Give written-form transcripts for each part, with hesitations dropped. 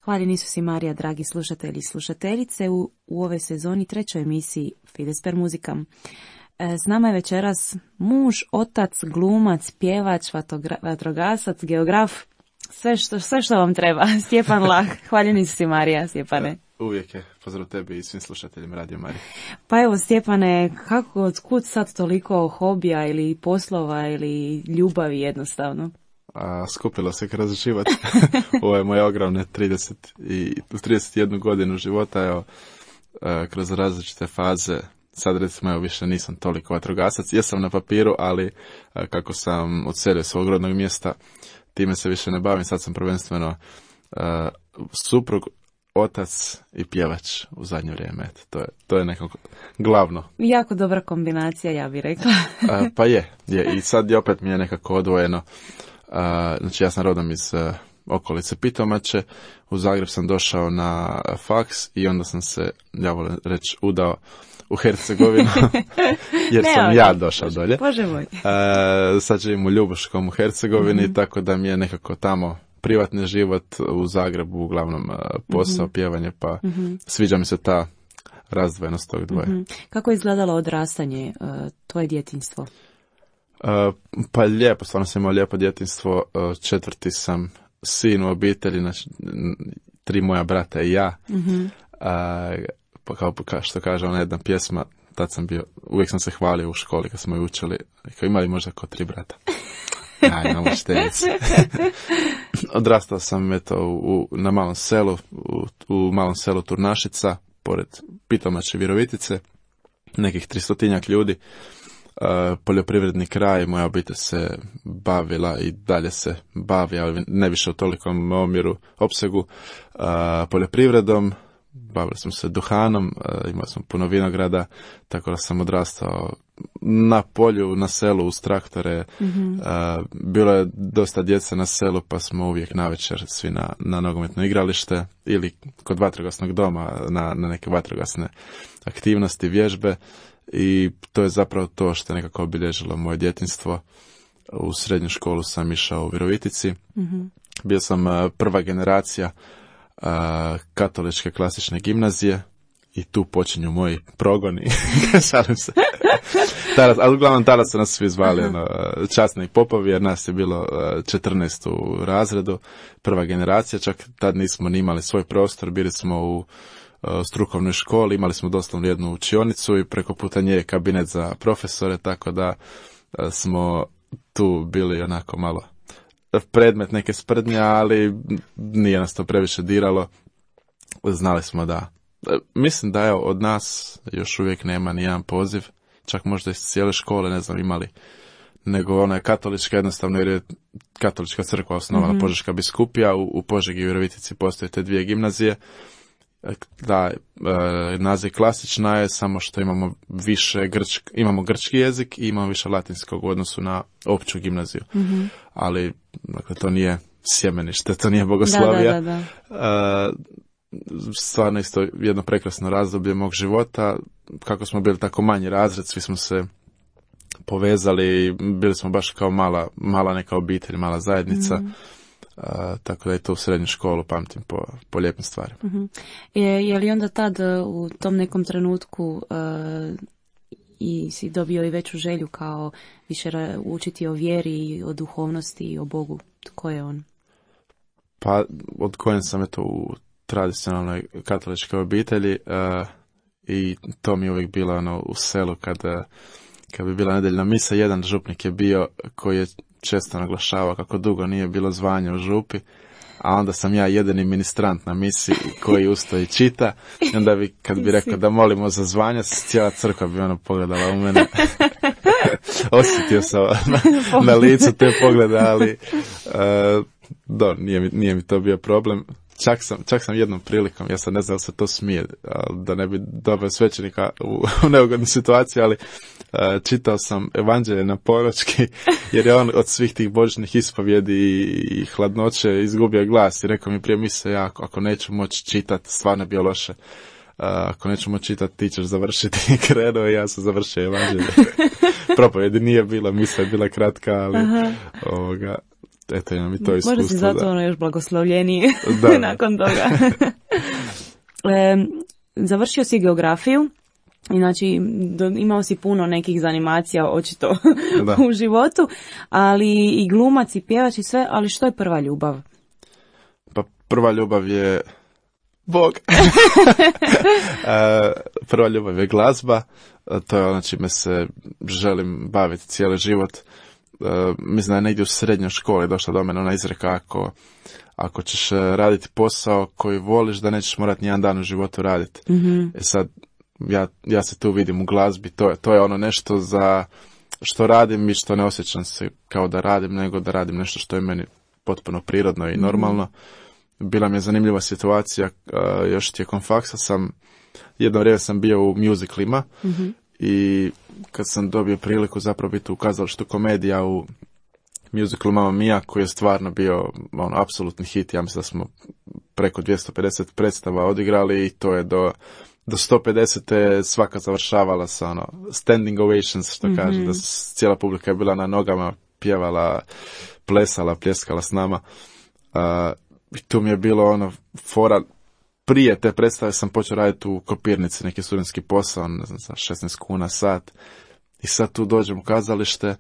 Hvaljeni su si Marija, dragi slušatelji i slušateljice, u ove sezoni 3. emisiji Fides per muzikam. S nama je večeras muž, otac, glumac, pjevač, vatrogasac, geograf, sve što vam treba. Stjepan Lah. Hvaljeni su si Marija, Stjepane. Uvijek je. Pozdrav tebi i svim slušateljima Radio Marije. Pa evo, Stjepane, otkud sad toliko hobija ili poslova ili ljubavi jednostavno? Skupilo se kroz život. Ovo je moje ogromne 31 godinu života, evo, kroz različite faze. Sad recimo, evo, više nisam toliko vatrogasac. Jesam na papiru, ali kako sam odselio svog rodnog mjesta, time se više ne bavim. Sad sam prvenstveno suprug, otac i pjevač u zadnje vrijeme. To je nekako glavno. Jako dobra kombinacija, ja bih rekla. Pa je. I sad opet mi je nekako odvojeno. Znači, ja sam rodom iz okolice Pitomače, u Zagreb sam došao na faks i onda sam se, ja volim reći, udao u Hercegovinu, jer sam ja došao dolje. Bože moj. Sad živim u Ljubuškom u Hercegovini, tako da mi je nekako tamo privatni život, u Zagrebu uglavnom posao, pjevanje, pa sviđa mi se ta razdvojenost tog dvoje. Kako je izgledalo odrastanje, tvoje djetinjstvo? Pa lijepo, stvarno sam imao lijepo djetinjstvo. 4. sam sin u obitelji, znači 3 moja brata i ja. Pa kao što kaže ona jedna pjesma, tad sam bio, uvijek sam se hvalio u školi kad smo je učili, kao imali možda kao 3 brata. Ja, imamo štenici. Odrastao sam na malom selu, u malom selu Turnašica, pored Pitomače i Virovitice, nekih 300 ljudi. Poljoprivredni kraj, moja obitelj se bavila i dalje se bavi, ali ne više u tolikom opsegu, poljoprivredom. Bavili smo se duhanom, imali smo puno vinograda, tako da sam odrastao na polju, na selu, uz traktore. Bilo je dosta djece na selu, pa smo uvijek navečer svi na nogometno igralište ili kod vatrogasnog doma na neke vatrogasne aktivnosti, vježbe. I to je zapravo to što je nekako obilježilo moje djetinjstvo. U srednju školu sam išao u Virovitici. Bio sam prva generacija katoličke klasične gimnazije i tu počinju moji progoni. Šalim se. Ali uglavnom tada su nas svi zvali časni popovi, jer nas je bilo 14 u razredu, prva generacija. Čak tad nismo ni imali svoj prostor, bili smo u strukovnoj školi, imali smo doslovno jednu učionicu i preko puta nje kabinet za profesore, tako da smo tu bili onako malo predmet neke sprdnje, ali nije nas to previše diralo. Znali smo da, mislim da od nas još uvijek nema ni jedan poziv, čak možda iz cijele škole ne znam imali, nego ona je katolička jednostavno, jer je katolička crkva osnovana, Požeška biskupija, u Požegi i Virovitici postoje te 2 gimnazije. Da, naziv klasična je, samo što imamo više imamo grčki jezik i imamo više latinskog u odnosu na opću gimnaziju. Ali dakle, to nije sjemenište, to nije bogoslovija. Da. Stvarno isto jedno prekrasno razdoblje mog života. Kako smo bili tako manji razred, svi smo se povezali, bili smo baš kao mala neka obitelj, mala zajednica. Tako da je to u srednju školu pamtim po lijepim stvarima. Je li onda tad u tom nekom trenutku i si dobio i veću želju kao više učiti o vjeri, o duhovnosti i o Bogu? Tko je on? Pa odgojen sam u tradicionalnoj katoličkoj obitelji i to mi je uvijek bilo u selu kad bi bila nedeljna misa. Jedan župnik je bio koji je često naglašavao kako dugo nije bilo zvanja u župi, a onda sam ja jedini ministrant na misi koji ustoji čita, i onda kad bi rekao da molimo za zvanja, cijela crkva bi pogledala u mene. Osjetio sam na licu te poglede, ali nije mi to bio problem. Čak sam jednom prilikom, ja sad ne znam da se to smije, da ne bi dobio svećenika u neugodnu situaciju, ali čitao sam evanđelje na poročki, jer je on od svih tih božićnih ispovjedi i hladnoće izgubio glas i rekao mi prije mise, ja ako neću moći čitati, stvarno je bio loše, ako neću moći čitati, ti ćeš završiti. I krenuo i ja sam završio evanđelje. Propovjedi nije bila, misa je bila kratka, ali eto imam i to iskustvo. Možda si zato ono još blagoslovljeniji nakon toga. Završio si geografiju. Znači, imao si puno nekih zanimacija, očito, u životu, ali i glumac i pjevač i sve, ali što je prva ljubav? Pa prva ljubav je Bog. Prva ljubav je glazba, to je ono čime se želim baviti cijeli život. Mislim da je negdje u srednjoj školi došla do mene ona izreka, ako ćeš raditi posao koji voliš, da nećeš morati nijedan dan u životu raditi. Mm-hmm. Sad, ja se tu vidim u glazbi, to je ono nešto za što radim i što ne osjećam se kao da radim, nego da radim nešto što je meni potpuno prirodno i normalno. Bila mi je zanimljiva situacija, još tijekom faksa jedno vrijeme sam bio u musicalima i kad sam dobio priliku zapravo biti u kazalištu komedija u musicalu Mamma Mia, koji je stvarno bio apsolutni hit, ja mislim da smo preko 250 predstava odigrali i to je do 150. svaka završavala sa standing ovations, što kaže, da cijela publika je bila na nogama, pjevala, plesala, pljeskala s nama. I tu mi je bilo fora, prije te predstave sam počeo raditi u kopirnici, neki studentski posao, ne znam, za 16 kuna sat. I sad tu dođem u kazalište,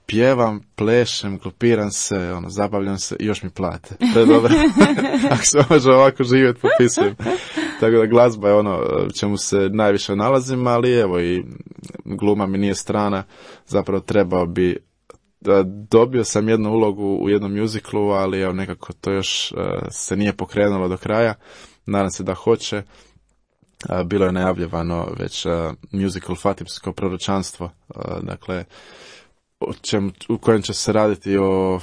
pjevam, plešem, klopiram se, zabavljam se i još mi plate. To je dobro. Ako se može ovako živjeti, popisujem. Tako da glazba je čemu se najviše nalazim, ali evo i gluma mi nije strana. Zapravo trebao bi, dobio sam jednu ulogu u jednom musiclu, ali evo nekako to još se nije pokrenulo do kraja. Nadam se da hoće. Bilo je najavljivano već musical Fatimsko proročanstvo, dakle u kojem će se raditi o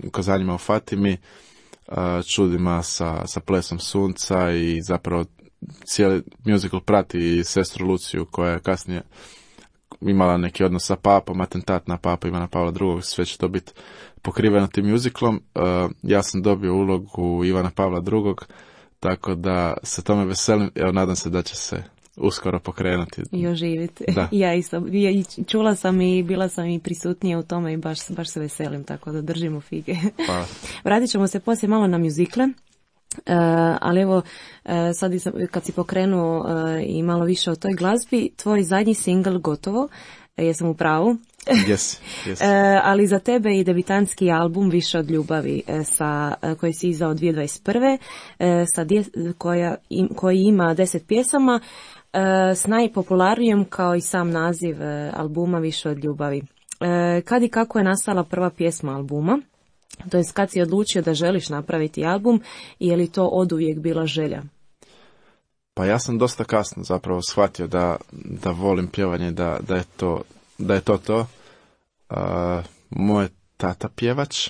ukazanjima o Fatimi, čudima sa plesom sunca i zapravo cijeli musical prati sestru Luciju koja je kasnije imala neki odnos sa papom, atentat na papa Ivana Pavla II, sve će to biti pokriveno tim musicalom. Ja sam dobio ulogu Ivana Pavla II, tako da se tome veselim, nadam se da će se uskoro pokrenuti. I oživiti. Da. Ja isto. Čula sam i bila sam i prisutnija u tome i baš se veselim, tako da držimo fige. Pa. Vratit ćemo se poslije malo na mjuzikle. Ali evo, sad kad si pokrenuo i malo više o toj glazbi, tvoj zadnji singl Gotovo, jesam u pravu? Yes. Ali za tebe i debitanski album Više od ljubavi, koji si izdao 2021. Koji ima 10 pjesama, s najpopularnijom kao i sam naziv albuma Više od ljubavi. Kad i kako je nastala prva pjesma albuma? To jest kad si odlučio da želiš napraviti album i je li to oduvijek bila želja? Pa ja sam dosta kasno zapravo shvatio da volim pjevanje, da je to. Moj tata pjevač,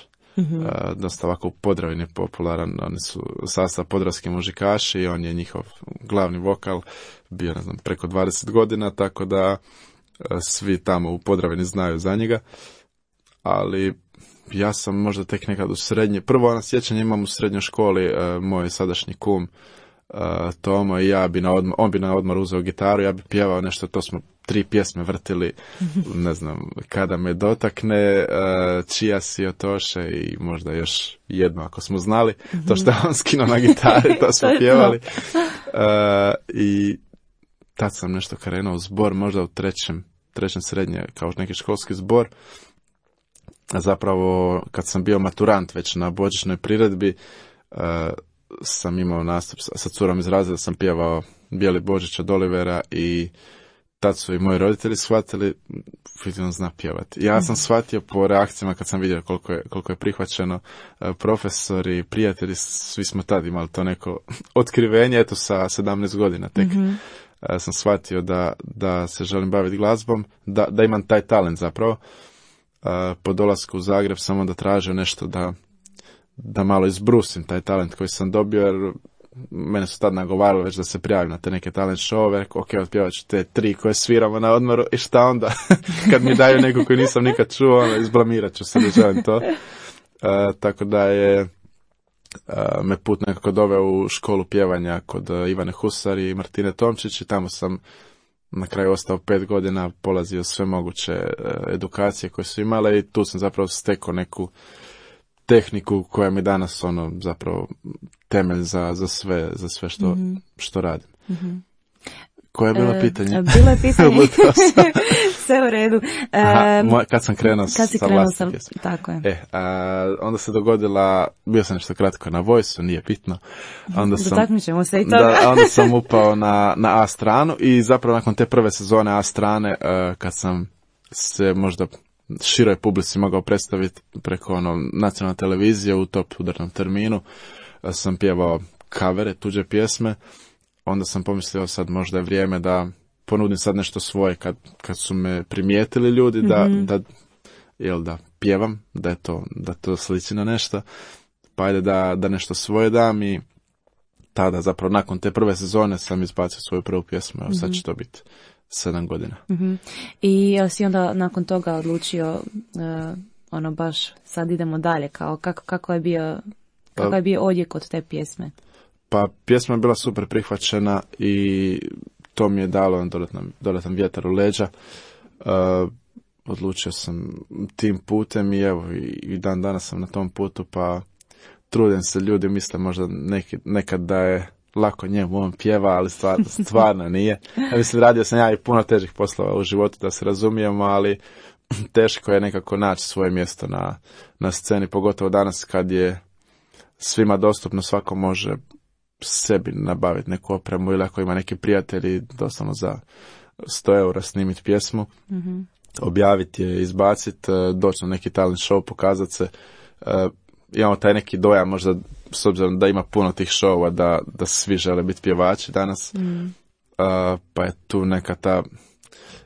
dosta ovako u Podravini popularan, oni su sastav podravski muzikaši i on je njihov glavni vokal, bio preko 20 godina, tako da svi tamo u Podravini znaju za njega, ali ja sam možda tek nekad u srednje, prvo sjećanje imam u srednjoj školi, moj sadašnji kum Tomo i on bi na odmor uzeo gitaru, ja bi pjevao nešto, to smo 3 pjesme vrtili, ne znam, Kada me dotakne, Čija si Otoše i možda još jedno ako smo znali, to što je on skinuo na gitari, to smo pjevali. I tad sam nešto krenuo u zbor, možda u trećem srednje, kao neki školski zbor. A zapravo, kad sam bio maturant već na božićnoj priredbi, sam imao nastup sa curom iz razreda, sam pjevao Bijeli Božić od Olivera i tad su i moji roditelji shvatili, on zna pjevati. Ja sam shvatio po reakcijama kad sam vidio koliko je prihvaćeno, profesori, prijatelji, svi smo tad imali to neko otkrivenje, eto sa 17 godina tek. Sam shvatio da se želim baviti glazbom, da imam taj talent zapravo. Po dolasku u Zagreb sam onda tražio nešto da malo izbrusim taj talent koji sam dobio, jer mene su tad nagovarali već da se prijavim na te neke talent showove, rekao, ok, otpjevat ću te 3 koje sviramo na odmoru i šta onda? Kad mi daju neku koju nisam nikad čuo, izblamirat ću se da želim to. Tako da je me put nekako doveo u školu pjevanja kod Ivane Husar i Martine Tomčić i tamo sam na kraju ostao 5 godina, polazio sve moguće edukacije koje su imale i tu sam zapravo stekao neku tehniku koja mi danas zapravo temelj za sve što radim. Koje je bilo pitanje? Bilo je pitanje. Sve u redu. Kad sam krenuo sa vlastitim pjesmom. Tako je. Onda se dogodila, bio sam nešto kratko na Voice-u, nije bitno. Dotaknut ćemo se i toga. Onda sam upao na A stranu i zapravo nakon te prve sezone A strane, kad sam se možda široj publici mogao predstaviti preko nacionalne televizije u top udarnom terminu, sam pjevao kavere, tuđe pjesme. Onda sam pomislio sad možda je vrijeme da ponudim sad nešto svoje kad su me primijetili ljudi da pjevam, da to sliči na nešto, pa ajde da nešto svoje dam i tada zapravo nakon te prve sezone sam izbacio svoju prvu pjesmu, evo sad će to biti 7 godina. I si onda nakon toga odlučio baš sad idemo dalje, kao kako je bio odjek od te pjesme? Pa pjesma je bila super prihvaćena i to mi je dalo dodatan vjetar u leđa. Odlučio sam tim putem i evo i dan danas sam na tom putu, pa trudim se, ljudi misle možda nekad da je lako njemu on pjeva, ali stvarno nije. Ja mislim, radio sam ja i puno težih poslova u životu, da se razumijemo, ali teško je nekako naći svoje mjesto na sceni, pogotovo danas kad je svima dostupno, svako može sebi nabaviti neku opremu ili ako ima neki prijatelji doslovno za 100 eura snimiti pjesmu, objaviti je, izbaciti, doći na neki talent show, pokazati se. Imamo taj neki dojam možda s obzirom da ima puno tih showova da svi žele biti pjevači danas, pa je tu neka ta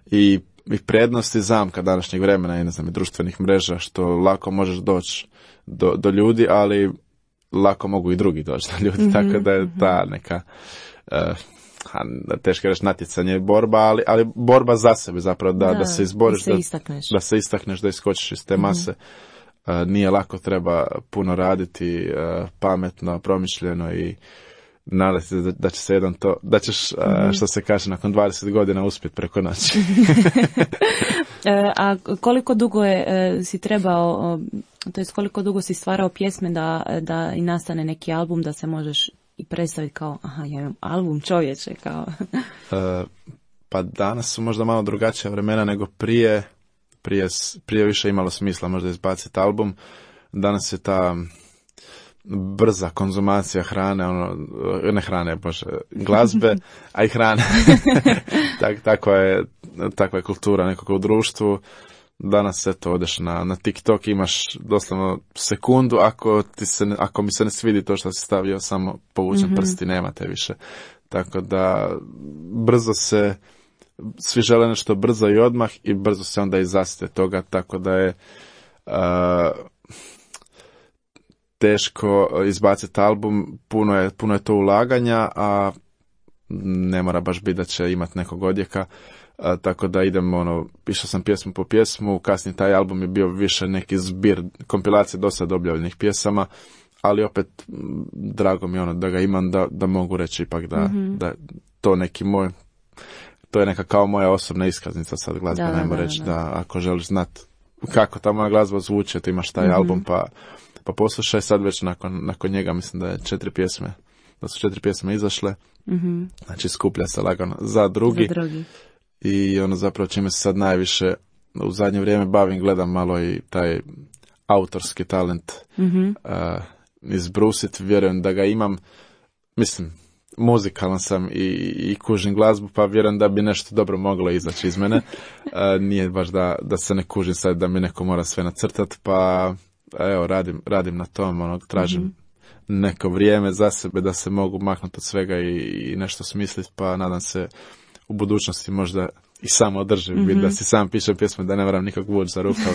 i prednost i zamka današnjeg vremena i i društvenih mreža, što lako možeš doći do ljudi, ali lako mogu i drugi doći do ljudi, tako da je ta neka teško reći natjecanje i borba, ali borba za sebe zapravo, da se izboriš, da se istakneš, da iskočiš iz te mase. Nije lako, treba puno raditi, pametno, promišljeno i nadati se da će se da ćeš, što se kaže, nakon 20 godina uspjeti preko noći. A koliko dugo si trebao, to jest koliko dugo si stvarao pjesme da i nastane neki album, da se možeš i predstaviti kao, ja imam album, čovječe, kao. Pa danas su možda malo drugačija vremena nego prije više imalo smisla možda izbaciti album. Danas je ta brza konzumacija hrane, glazbe, a i hrane. Takva je kultura nekako u društvu. Danas odeš na TikTok, imaš doslovno sekundu, ako mi se ne svidi to što si stavio, samo povučem prsti, nema te više. Tako da brzo se, svi žele nešto brzo i odmah i brzo se onda izasite toga, tako da je teško izbaciti album, puno je to ulaganja, a ne mora baš biti da će imati nekog odjeka, tako da idem, išao sam pjesmu po pjesmu, kasnije taj album je bio više neki zbir, kompilacije do sad objavljenih pjesama, ali opet drago mi da ga imam, da mogu reći ipak da to neki moj, to je neka kao moja osobna iskaznica sad glazba, najmo reći da ako želiš znati kako ta moja glazba zvuči, ti imaš taj album, pa poslušaj. Sad već nakon njega mislim da su 4 pjesme izašle, znači skuplja se lagano za drugi. I zapravo čime se sad najviše u zadnje vrijeme bavim, gledam malo i taj autorski talent izbrusiti, vjerujem da ga imam, mislim, muzikalan sam i kužim glazbu, pa vjerujem da bi nešto dobro moglo izaći iz mene. Nije baš da se ne kužim sad da mi neko mora sve nacrtati, pa evo radim na tom, tražim neko vrijeme za sebe da se mogu maknuti od svega i nešto smisliti, pa nadam se u budućnosti možda i samo održim, da si sam pišem pjesme, da ne moram nikog vući za rukav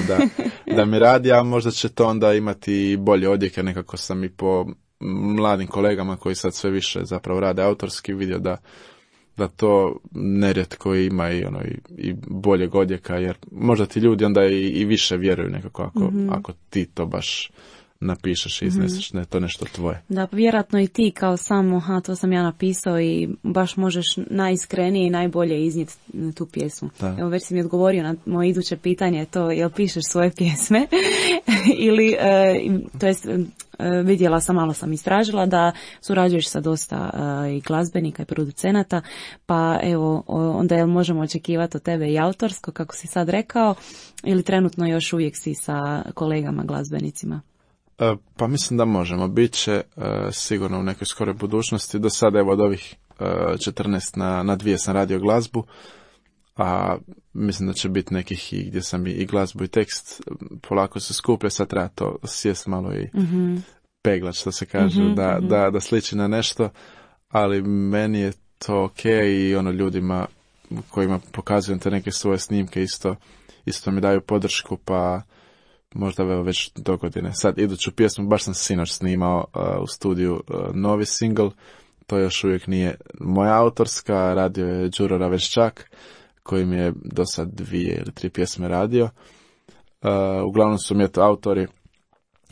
da mi radi, a možda će to onda imati bolje odjeke. Nekako sam i po mladim kolegama koji sad sve više zapravo rade autorski vidio da to nerijetko ima i boljeg odjeka, jer možda ti ljudi onda i više vjeruju nekako ako ti to baš napišeš i izneseš, ne to nešto tvoje. Da, vjerojatno i ti kao samo, to sam ja napisao i baš možeš najiskrenije i najbolje iznijeti tu pjesmu. Da. Evo već si mi odgovorio na moje iduće pitanje, to jel pišeš svoje pjesme ili, to jest vidjela sam, malo sam istražila da surađuješ sa dosta i glazbenika i producenata, pa evo, onda jel možemo očekivati od tebe i autorsko, kako si sad rekao, ili trenutno još uvijek si sa kolegama glazbenicima? Pa mislim da možemo. Biće sigurno u nekoj skoroj budućnosti. Do sada evo od ovih 14 na 2 sam radio glazbu, a mislim da će biti nekih i gdje sam i glazbu i tekst polako se skuplja, sad treba to sjest malo i peglat, što se kaže, da sliči na nešto, ali meni je to ok i ono ljudima kojima pokazujem te neke svoje snimke isto mi daju podršku, pa možda već do godine. Sad iduću pjesmu baš sam sinoć snimao u studiju novi single, to još uvijek nije moja autorska, radio je Đuro Raveščak, koji mi je do sad 2 ili 3 pjesme radio. Uglavnom su mi autori,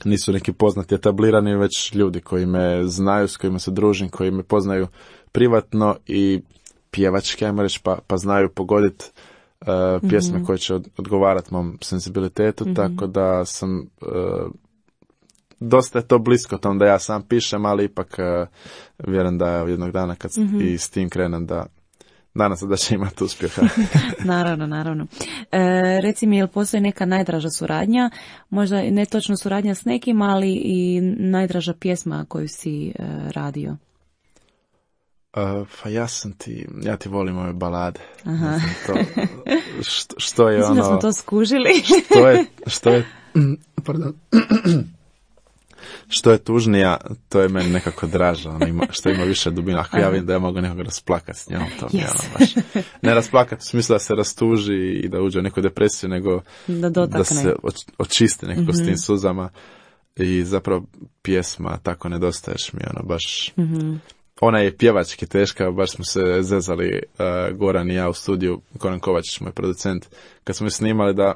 nisu neki poznati etablirani, već ljudi koji me znaju, s kojima se družim, koji me poznaju privatno i pjevački, ajmo reći, pa znaju pogoditi pjesme koje će odgovarati mom senzibilitetu, tako da sam dosta je to blisko tom da ja sam pišem, ali ipak vjerujem da jednog dana kad i s tim krenem da nadam se da će imati uspjeha. Naravno. Reci mi, jel postoji neka najdraža suradnja, možda ne točno suradnja s nekim, ali i najdraža pjesma koju si radio? Pa ja ti volim ove balade. Aha. Što je mislim ono... da smo to skužili. Što je tužnija, to je meni nekako draže, što ima više dubina. Ako ja vidim da ja mogu nekoga rasplakati s njom, to mi je ono baš... Ne rasplakati u smislu da se rastuži i da uđe u neku depresiju, nego da se očisti nekako s tim suzama. I zapravo pjesma tako nedostaješ mi, ono baš... Ona je pjevački teška, baš smo se zezali Goran i ja u studiju, Goran Kovačić, moj producent, kad smo je snimali da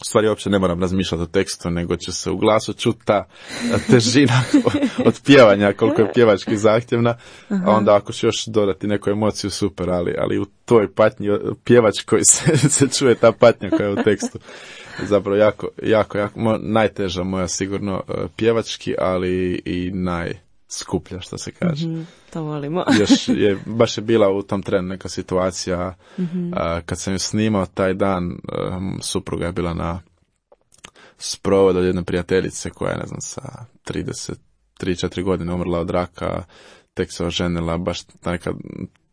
u stvari uopće ne moram razmišljati o tekstu, nego će se u glasu čuti ta težina od pjevanja, koliko je pjevački zahtjevna, a onda ako će još dodati neku emociju, super, ali u toj patnji pjevačkoj se čuje ta patnja koja je u tekstu. Zapravo jako, najteža moja sigurno pjevački, ali i najskuplja, što se kaže. To volimo. Baš je bila u tom trenu neka situacija, kad sam ju snimao taj dan, supruga je bila na sprovodu od jedne prijateljice koja je, ne znam, sa 33-4 godine umrla od raka, tek se oženila, baš neka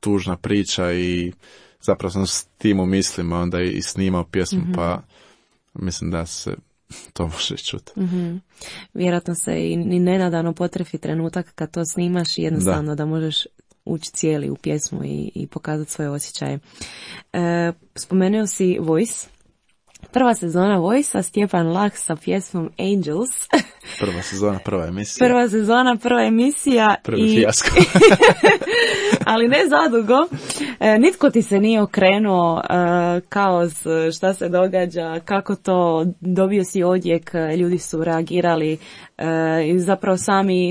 tužna priča i zapravo sam s tim u mislima onda i snimao pjesmu, pa mislim da se to može čuti. Vjerojatno se i nenadano potrefi trenutak kad to snimaš i jednostavno da možeš ući cijeli u pjesmu i pokazati svoje osjećaje. Spomenuo si Voice. Prva sezona Voice-a, Stjepan Lah sa pjesmom Angels. Prva sezona, prva emisija. Prva emisija. Prvi fijasko. Ali ne zadugo. Nitko ti se nije okrenuo, kaos, šta se događa, kako to, dobio si odjek, ljudi su reagirali i zapravo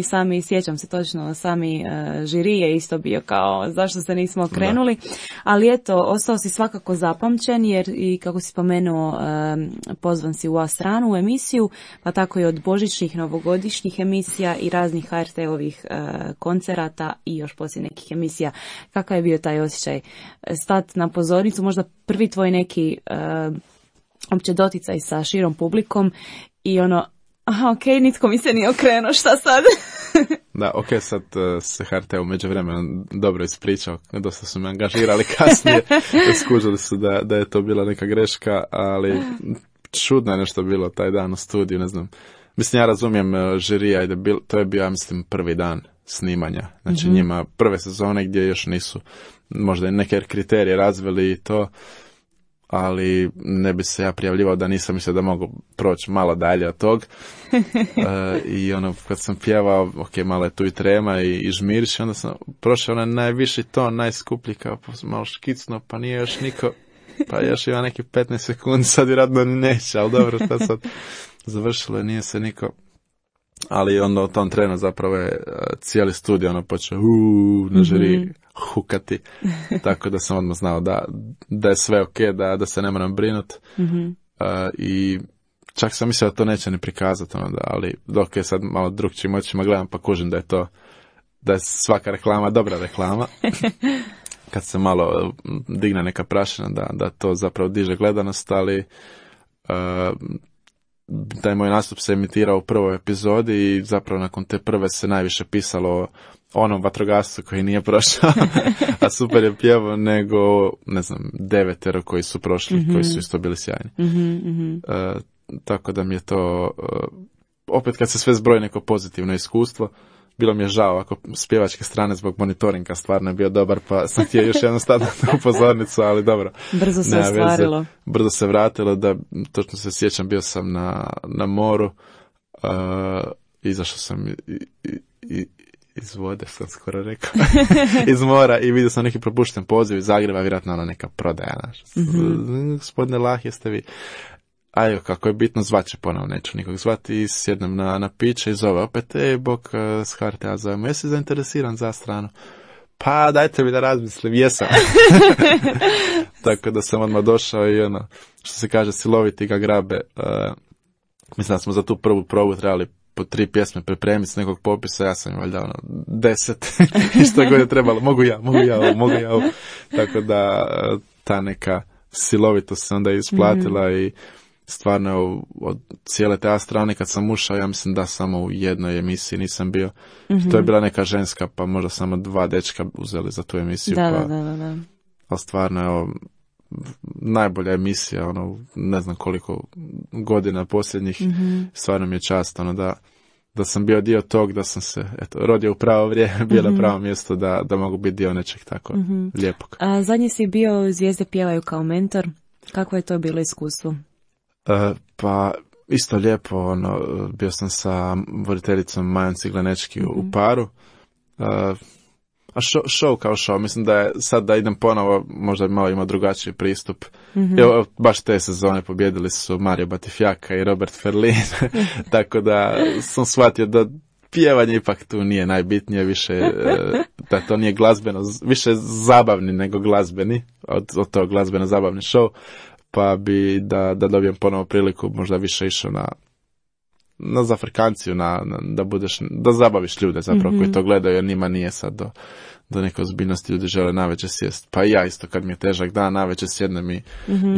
sami sjećam se točno, sami žiri je isto bio kao zašto se nismo okrenuli, ali eto, ostao si svakako zapamćen jer i kako si spomenuo, pozvan si u A stranu u emisiju, pa tako i od božićnih, novogodišnjih emisija i raznih HRT-ovih koncerata i još poslije nekih emisija. Kakav je bio taj osjećaj? Stat na pozornicu, možda prvi tvoj neki opće doticaj sa širom publikom i ono, ok, nitko mi se nije okrenuo, šta sad? Da, ok, sad se HRT u međuvremenu dobro ispričao, dosta su me angažirali kasnije, skužili su da je to bila neka greška, ali čudno je nešto bilo taj dan u studiju, ne znam. Mislim, ja razumijem žirija, to je bio, ja mislim, prvi dan snimanja, znači njima prve sezone gdje još nisu možda neke kriterije razvili i to, ali ne bi se ja prijavljivao da nisam mislio da mogu proći malo dalje od tog. I ono, kad sam pjevao, ok, malo je tu i trema i žmiriš, onda sam prošao onaj najviši ton, najskuplji, kao malo škicno, pa nije još niko, pa još ima neki 15 sekundi, sad vjerojatno neće, ali dobro, šta sad završilo je, nije se niko ali onda u tom trenu zapravo je cijeli studio počeo na žiri hukati, tako da sam odmah znao da je sve ok, da se ne moram brinuti. I čak sam mislio da to neće ni prikazati, ali dok je sad malo drugčijim očima gledam pa kužim da je svaka reklama dobra reklama. Kad se malo digne neka prašina da to zapravo diže gledanost, ali taj moj nastup se emitirao u prvoj epizodi i zapravo nakon te prve se najviše pisalo o onom vatrogascu koji nije prošao, a super je pjevao, nego, ne znam, 9 koji su prošli, koji su isto bili sjajni. Tako da mi je to, opet kad se sve zbroji neko pozitivno iskustvo, bilo mi je žao ako s pjevačke strane zbog monitoringa stvarno je bio dobar, pa sam htio još jednu staviti u pozornicu, ali dobro. Brzo se ostvarilo. Brzo se vratilo, da točno se sjećam, bio sam na moru, izašao sam iz vode, sam skoro rekao, iz mora i vidio sam neki propušten poziv iz Zagreba, vjerojatno neka prodaja naša. Gospodine Lah, jeste vi? A kako je bitno, zvaće ponovno, neću nikog zvati i sjednem na piće i zove opet, bok s HRT-a zovemo, jesi zainteresiran za stranu? Pa dajte mi da razmislim, jesam. Tako da sam odmah došao i što se kaže, siloviti ga grabe. Mislim da smo za tu prvu probu trebali po 3 pjesme pripremiti s nekog popisa, ja sam valjda 10 i što god je trebalo, mogu ja ovo. Tako da ta neka silovitost se onda isplatila i stvarno od cijele te strane kad sam ušao, ja mislim da samo u jednoj emisiji nisam bio. To je bila neka ženska, pa možda samo 2 dečka uzeli za tu emisiju. Da. Ali stvarno je najbolja emisija, ne znam koliko godina posljednjih. Stvarno mi je čast da sam bio dio tog, da sam se rodio u pravo vrijeme, bilo na pravo mjesto da mogu biti dio nečeg tako lijepog. A zadnji si bio Zvijezde pjevaju kao mentor. Kako je to bilo iskustvo? Pa isto lijepo, bio sam sa voditeljicom Majom Ciglenečki u paru. A show kao show, mislim da je sad da idem ponovo, možda bi malo imao drugačiji pristup. Evo, baš te sezone pobjedili su Mario Batifjaka i Robert Ferlin, tako da sam shvatio da pjevanje ipak tu nije najbitnije, više da to nije glazbeno, više zabavni nego glazbeni, od tog glazbeno zabavni show, pa bi da dobijem ponovo priliku možda više išao na zafrkanciju, da zabaviš ljude zapravo koji to gledaju, jer njima nije sad do neke ozbiljnosti, ljudi žele navečer sjest. Pa ja isto kad mi je težak dan, navečer sjednem i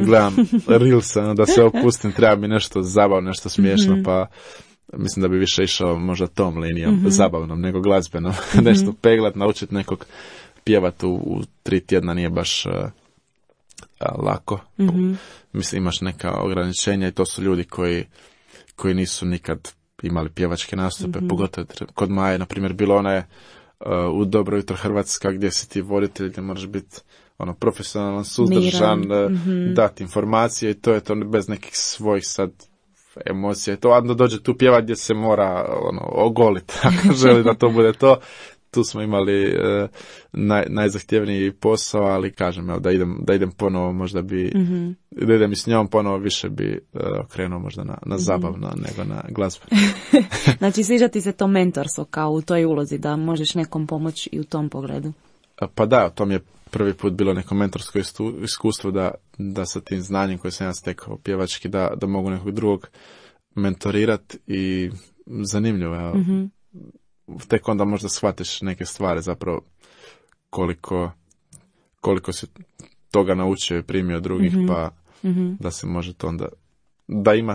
gledam Reelsa, da se opustim, treba mi nešto zabavno, nešto smiješno, pa mislim da bi više išao možda tom linijom, zabavnom nego glazbenom, nešto peglat, naučiti nekog pjevati u 3 tjedna nije baš lako. Mislim, imaš neka ograničenja i to su ljudi koji nisu nikad imali pjevačke nastupe, pogotovo kod Maje, na primjer, bilo ona je u Dobro jutro Hrvatska, gdje si ti voditelj, gdje moraš biti profesionalan, suzdržan, dati informacije i to je to bez nekih svojih sad emocija. I to onda dođe tu pjevat gdje se mora ogoliti, ako želi da to bude to. Tu smo imali najzahtjevniji posao, ali kažem, evo, da idem ponovo, možda bi, da idem i s njom ponovo, više bi okrenuo možda na zabavno nego na glazbu. Znači, sviđa ti se to mentorstvo kao u toj ulozi, da možeš nekom pomoći i u tom pogledu? Pa da, to mi je prvi put bilo neko mentorsko iskustvo da sa tim znanjem koje sam ja stekao pjevački, da mogu nekog drugog mentorirati i zanimljivo je. Tek onda možda shvatiš neke stvari zapravo koliko si toga naučio i primio drugih, pa da se može to onda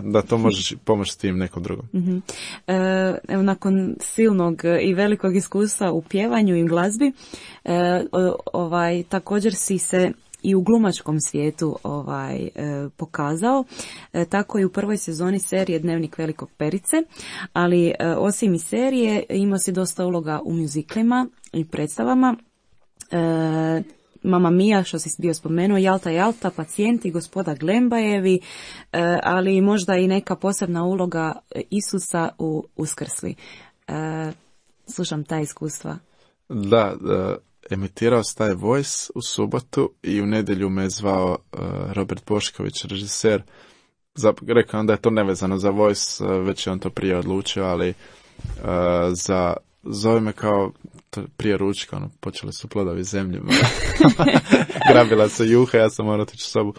da to možeš pomoći s tim nekom drugom. Evo, nakon silnog i velikog iskustva u pjevanju i glazbi, također si se i u glumačkom svijetu pokazao, tako i u prvoj sezoni serije Dnevnik velikog Perice, ali osim i serije imao si dosta uloga u mjuziklima i predstavama. Mama Mia, što si bio spomenuo, Jalta, Jalta, Pacijenti, Gospoda Glembajevi, ali možda i neka posebna uloga Isusa u Uskrsli. Slušam ta iskustva. Da, emitirao se taj Voice u subotu i u nedjelju me je zvao Robert Bošković, režiser. Rekao da je to nevezano za Voice, već je on to prije odlučio, ali zove me kao prije ručka, počeli su plodovi zemlje. Grabila se juha, ja sam morao otići u sobu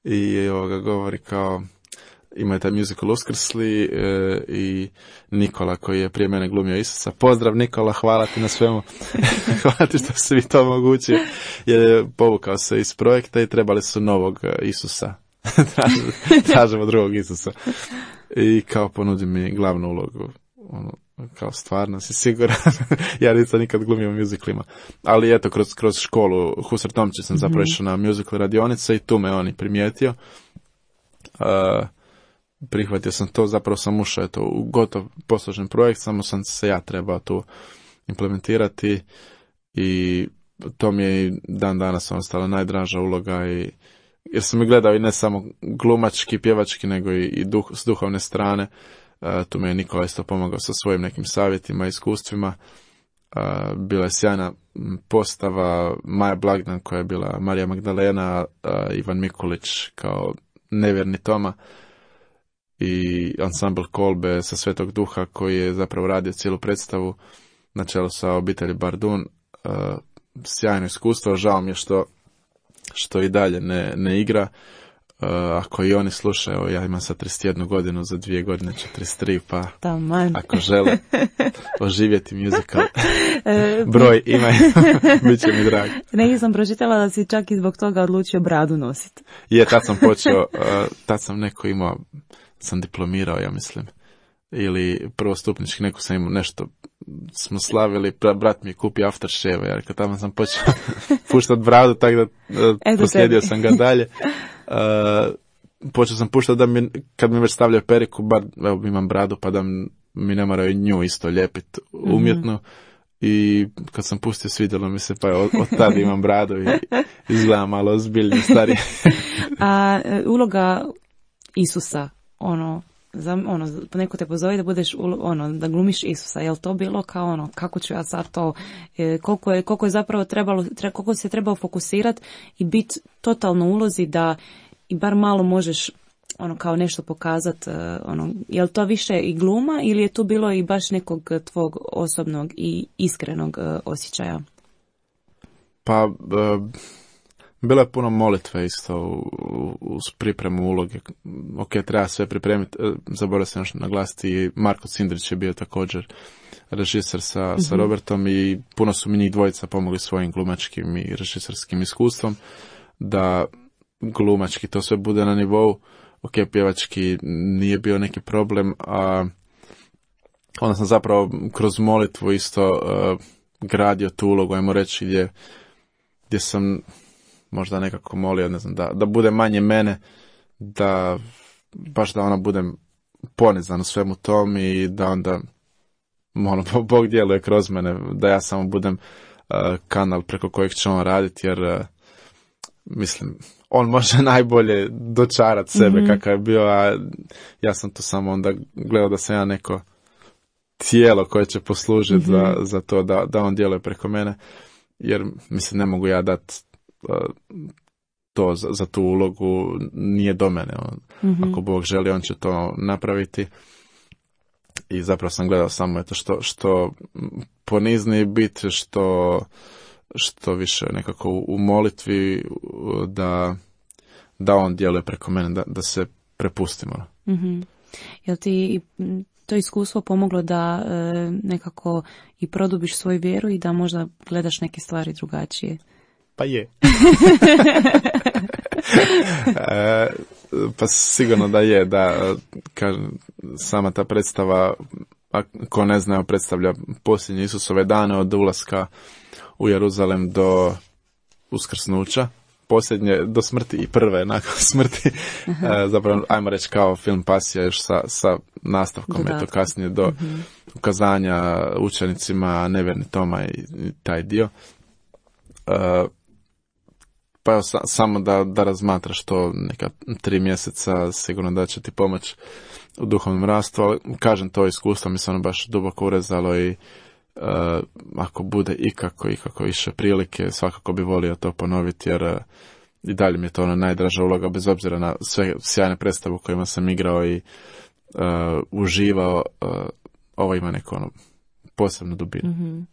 i govori kao, ima je taj musical Uskrsli i Nikola koji je prije mene glumio Isusa. Pozdrav Nikola, hvala ti na svemu. Hvala ti što si vi to omogućio. Jer je povukao se iz projekta i trebali su novog Isusa. Tražimo drugog Isusa. I kao ponudi mi glavnu ulogu. Kao stvarno si siguran. Ja nisam nikad glumio u musicalima. Ali eto, kroz školu Husar Tomčić sam zapravo išao na musical radionice i tu me on i primijetio. Prihvatio sam to, zapravo sam ušao u gotov posložen projekt, samo sam se ja trebao tu implementirati i to mi je i dan danas ostala najdraža uloga jer sam i gledao i ne samo glumački, pjevački, nego i s duhovne strane. Tu me je Nikola isto pomogao sa svojim nekim savjetima i iskustvima. Bila je sjajna postava Maja Blagdan koja je bila Marija Magdalena, Ivan Mikulić kao nevjerni Toma i ansambl Kolbe sa Svetog Duha koji je zapravo radio cijelu predstavu na čelu sa obitelji Bardun. Sjajno iskustvo, žao mi je što i dalje ne igra. Ako i oni slušaju, ja imam sad 31 godinu, za 2 godine 43, pa ako žele oživjeti musical, broj imaju, bit će mi drag. Negdje sam pročitala da si čak i zbog toga odlučio bradu nositi. Je, tad sam počeo, tad sam neko imao, sam diplomirao, ja mislim, ili prvostupnički, neko sam imao nešto, smo slavili, brat mi je kupio aftershave, jer kad tamo sam počeo puštati bradu, tako da poslijedio sam ga dalje. Počeo sam puštati da kad mi već stavljaju periku, bar evo, imam bradu, pa da mi ne moraju nju isto lijepiti umjetno. I kad sam pustio, svidjelo mi se, pa od tada imam bradu i izgledam malo ozbiljnije, starije. A uloga Isusa, neko te pozove da budeš, da glumiš Isusa, je li to bilo kao kako ću ja sad to, koliko je zapravo koliko se trebao fokusirati i biti totalno u ulozi da i bar malo možeš kao nešto pokazati, je li to više i gluma ili je tu bilo i baš nekog tvog osobnog i iskrenog osjećaja? Pa, bilo je puno molitve isto uz pripremu uloge. Ok, treba sve pripremiti. Zaboravio sam još naglasiti, Marko Cindrić je bio također režiser sa Robertom i puno su mi njih dvojica pomogli svojim glumačkim i režiserskim iskustvom da glumački to sve bude na nivou. Ok, pjevački nije bio neki problem, a onda sam zapravo kroz molitvu isto gradio tu ulogu, ajmo reći, gdje sam možda nekako molio, ne znam, da bude manje mene, da baš da ona budem ponizan u svemu tom i da onda Bog djeluje kroz mene, da ja samo budem kanal preko kojeg će on raditi, jer mislim, on može najbolje dočarati sebe kakav je bio, a ja sam tu samo onda gledao da sam ja neko tijelo koje će poslužiti za to da on djeluje preko mene, jer mislim ne mogu ja dati to za tu ulogu, nije do mene. Ako Bog želi, on će to napraviti. I zapravo sam gledao samo što ponizniji biti, što više nekako u molitvi, da on djeluje preko mene, da se prepustimo. Jel ti to iskustvo pomoglo da nekako i produbiš svoju vjeru i da možda gledaš neke stvari drugačije? Pa je. Pa sigurno da je, da kažem, sama ta predstava, ko ne zna, predstavlja posljednje Isusove dane od ulaska u Jeruzalem do uskrsnuća, posljednje do smrti i prve nakon smrti. Zapravo, ajmo reći kao film Pasija još sa nastavkom, eto kasnije do ukazanja učenicima nevjerni Toma i taj dio. Pa evo, samo da razmatraš to neka 3 mjeseca, sigurno da će ti pomoći u duhovnom rastu, ali kažem, to iskustvo mi se ono baš duboko urezalo i ako bude ikako više prilike, svakako bi volio to ponoviti, jer i dalje mi je to ona najdraža uloga, bez obzira na sve sjajne predstave u kojima sam igrao i uživao. ovo ima neku ono posebnu dubinu. Mm-hmm.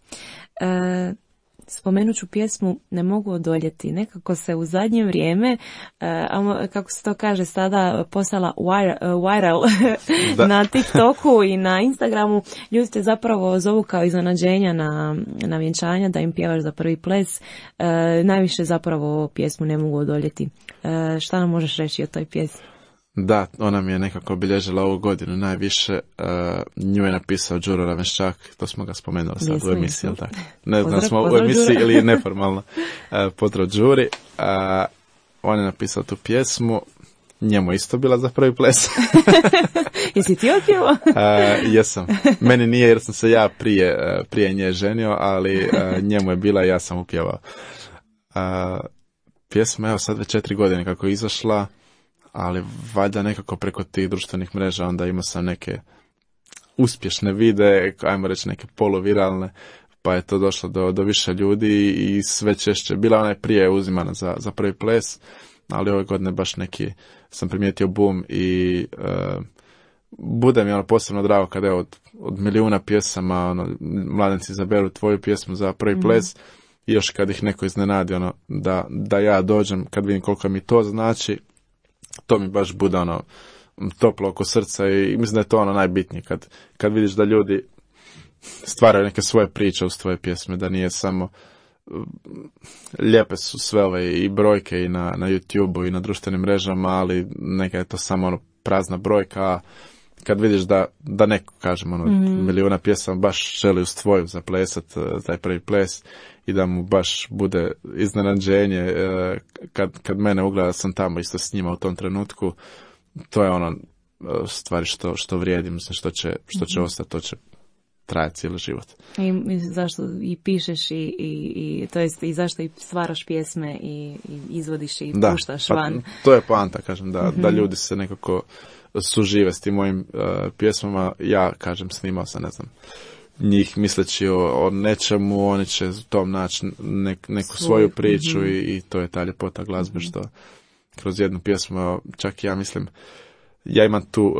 Spomenut ću pjesmu Ne mogu odoljeti. Nekako se u zadnje vrijeme, kako se to kaže sada, postala viral na TikToku i na Instagramu. Ljudi te zapravo zovu kao iznenađenja na vjenčanja da im pjevaš za prvi ples. Najviše zapravo pjesmu Ne mogu odoljeti. Šta nam možeš reći o toj pjesmi? Da, ona mi je nekako obilježila ovu godinu najviše. Nju je napisao Đuro Ravenščak, to smo ga spomenuli sad u emisiji, jel tako? Ne znam smo u emisiji ili neformalno. Pozdrav Đuri. On je napisao tu pjesmu, njemu isto bila za prvi ples. Jesi ti otpjevao? Jesam. Meni nije jer sam se ja prije nje ženio, ali njemu je bila i ja sam upjevao. Pjesma, evo sad već 4 godine kako je izašla, ali valjda nekako preko tih društvenih mreža onda imao sam neke uspješne videe, ajmo reći neke poluviralne, pa je to došlo do više ljudi i sve češće. Bila ona je prije uzimana za prvi ples, ali ove godine baš neki sam primijetio boom i bude mi ono posebno drago kada je od milijuna pjesama ono, mladenci izaberu tvoju pjesmu za prvi ples i još kad ih neko iznenadi ono, da ja dođem, kad vidim koliko mi to znači, to mi baš bude ono toplo oko srca i mislim da je to ono najbitnije kad vidiš da ljudi stvaraju neke svoje priče uz tvoje pjesme, da nije samo lijepe su sve ove i brojke i na YouTube-u i na društvenim mrežama, ali neka je to samo ono prazna brojka, a kad vidiš da neko, kažem, ono, milijuna pjesama baš želi uz tvoju zaplesat taj prvi ples i da mu baš bude iznenađenje kad mene ugleda sam tamo isto s njima u tom trenutku, to je ono stvari što vrijedi, mislim, što će ostati, to će trajati cijeli život. I zašto i pišeš i to jest i zašto i stvaraš pjesme i izvodiš i puštaš van. To je poanta, kažem, da ljudi se nekako sužive s tim mojim pjesmama. Ja, kažem, snimao sam, ne znam, njih misleći o nečemu, oni će u tom naći neku svoju priču i to je ta ljepota glazbe što kroz jednu pjesmu, čak ja mislim, ja imam tu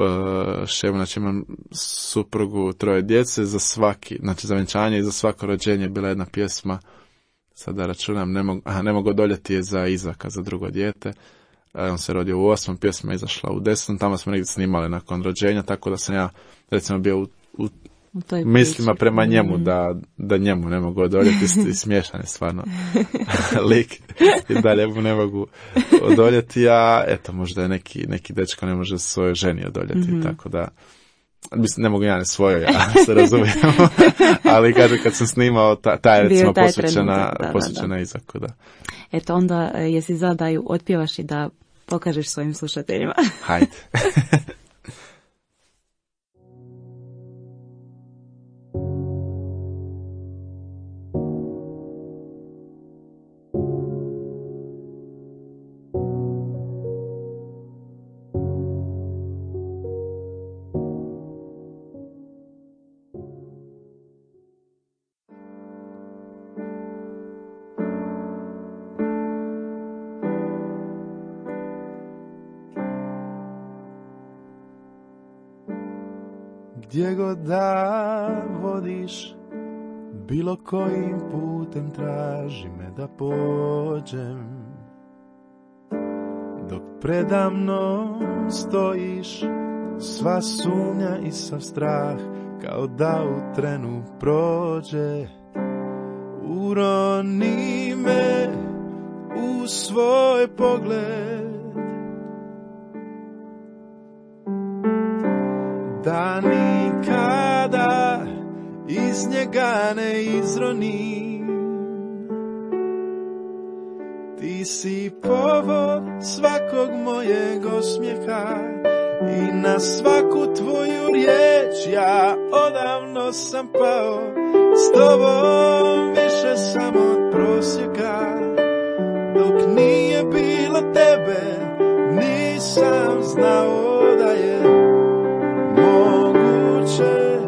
šemu, znači imam suprugu, 3 djece, za svaki, znači za vjenčanje i za svako rođenje je bila jedna pjesma, sada računam, ne mogu odoljeti je za Izaka, za drugo dijete. On se rodio u 8, pjesma je izašla u 10, tamo smo negdje snimali nakon rođenja, tako da sam ja recimo bio u mislima prema njemu da njemu ne mogu odoljeti i smiješan je stvarno lik i dalje mu ne mogu odoljeti, a eto možda je neki dečko ne može svojoj ženi odoljeti, tako da mislim, ne mogu ja ne svojoj, ja se razumijemo, ali kad sam snimao ta je recimo posvećena Izaku, da. Eto onda jesi zadaju otpjevaš i da pokažeš svojim slušateljima. Hajde. Gdje god da vodiš, bilo kojim putem traži me da pođem. Dok predamnom stojiš, sva sumnja i sav strah kao da u trenu prođe. Uroni me u svoj pogled, da nikada iz njega ne izronim. Ti si povod svakog mojeg osmijeha i na svaku tvoju riječ ja odavno sam pao. S tobom više sam od prosjeka, dok nije bilo tebe nisam znao da je moguće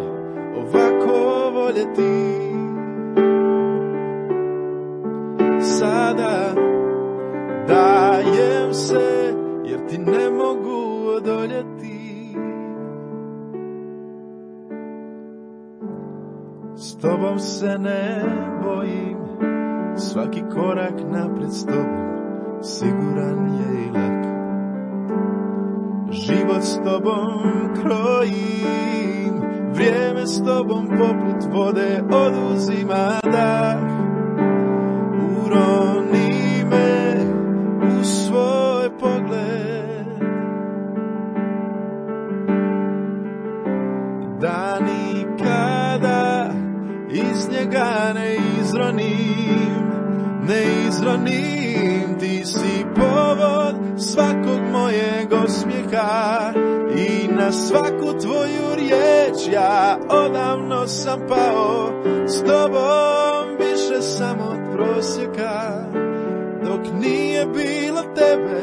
ovako voljeti. Sada dajem se jer ti ne mogu odoljeti. S tobom se ne bojim, svaki korak napred s tobom siguran je i lak. Život s tobom krojim, vrijeme s tobom poput vode oduzima dah. Uroni me u svoj pogled, da nikada iz njega ne izronim, ti si povod svakog mojeg osmijeha i na svaku tvoju riječ ja odavno sam pao. S tobom više sam od prosjeka, dok nije bilo tebe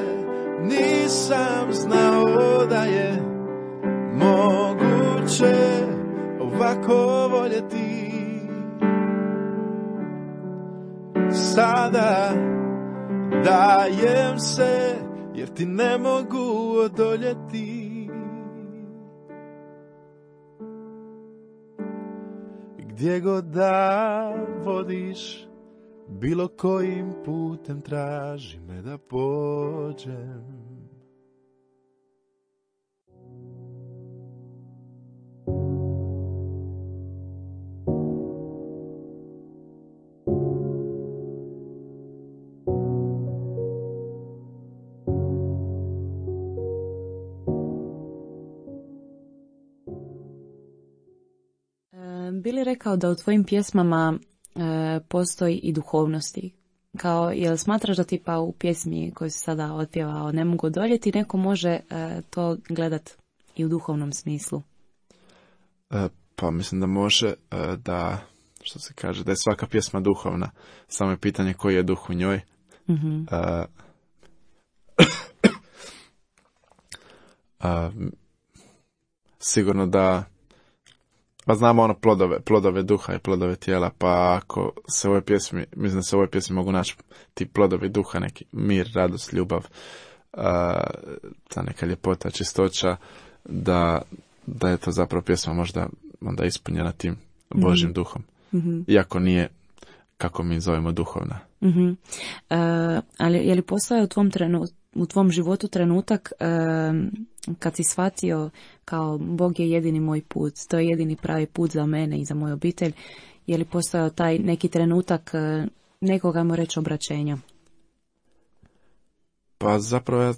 nisam znao da je moguće ovako voljeti. Sada dajem se jer ti ne mogu odoljeti. Gdje god da vodiš, bilo kojim putem traži me da pođem. Bili rekao da u tvojim pjesmama postoji i duhovnosti. Kao, jel smatraš da tipa u pjesmi koju si sada otpjevao ne mogu odoljeti, neko može to gledat i u duhovnom smislu? Pa mislim da može, da, što se kaže, da je svaka pjesma duhovna. Samo je pitanje koji je duh u njoj. Mm-hmm. Sigurno da pa znamo ono plodove duha i plodove tijela, pa ako se u ovoj pjesmi, mislim da se u ovoj pjesmi mogu naći ti plodovi duha, neki mir, radost, ljubav, ta neka ljepota, čistoća, da je to zapravo pjesma možda onda ispunjena tim Božjim duhom. Mm-hmm. Iako nije, kako mi zovemo, duhovna. Mm-hmm. Ali je li postojao u tvom životu trenutak kad si shvatio kao Bog je jedini moj put, to je jedini pravi put za mene i za moju obitelj, je li postojao taj neki trenutak nekog, ajmo reći, obraćenja? Pa zapravo ja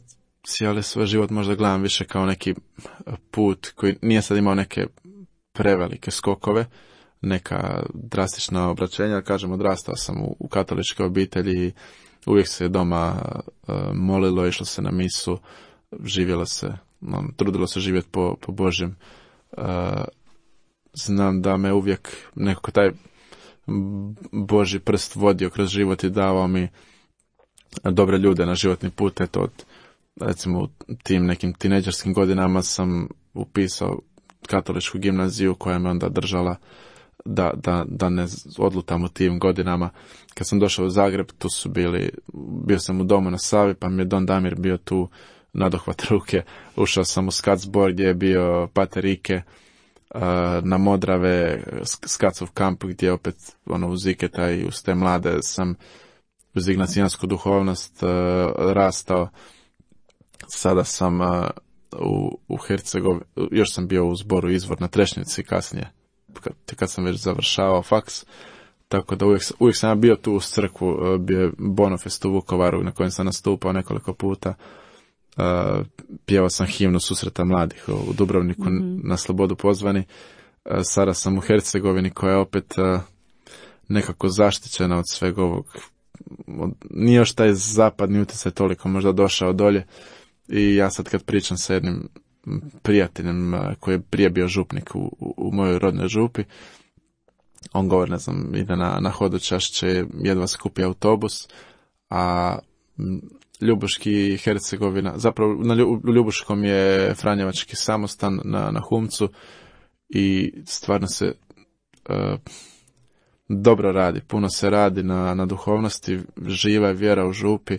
cijeli svoj život možda gledam više kao neki put koji nije sad imao neke prevelike skokove, neka drastična obraćenja. Kažem, odrastao sam u katoličkoj obitelji, uvijek se doma molilo, išlo se na misu, živjelo se, trudilo se živjeti po Božjem. Znam da me uvijek nekako taj Božji prst vodio kroz život i davao mi dobre ljude na životni put. Eto, recimo u tim nekim tinejdžerskim godinama sam upisao katoličku gimnaziju koja me onda držala da ne odlutam u tim godinama. Kad sam došao u Zagreb, tu su bio sam u domu na Savi, pa mi je Don Damir bio tu nadohvat ruke. Ušao sam u skat zbor gdje je bio Pater Ike, na Modrave, Skacov kamp gdje opet uz Iketa i uz te mlade sam uz ignacijansku duhovnost rastao. Sada sam u Hercegovini, još sam bio u zboru Izvor na Trešnjici kasnije, kad sam već završavao faks, tako da uvijek sam bio tu uz crkvu. Bio je Bonofest u Vukovaru na kojem sam nastupao nekoliko puta. Pjevao sam himnu Susreta mladih u Dubrovniku, na Slobodu pozvani. Sada sam u Hercegovini koja je opet nekako zaštićena od svega ovog. Nije još taj zapadni utjecaj toliko možda došao dolje i ja sad kad pričam sa jednim prijateljem koji je prije bio župnik u mojoj rodnoj župi, on govori, ne znam, ide na hodočašće, jedva se kupi autobus, a Ljubuški i Hercegovina, zapravo u Ljubuškom je Franjevački samostan na Humcu i stvarno se dobro radi, puno se radi na duhovnosti, živa je vjera u župi,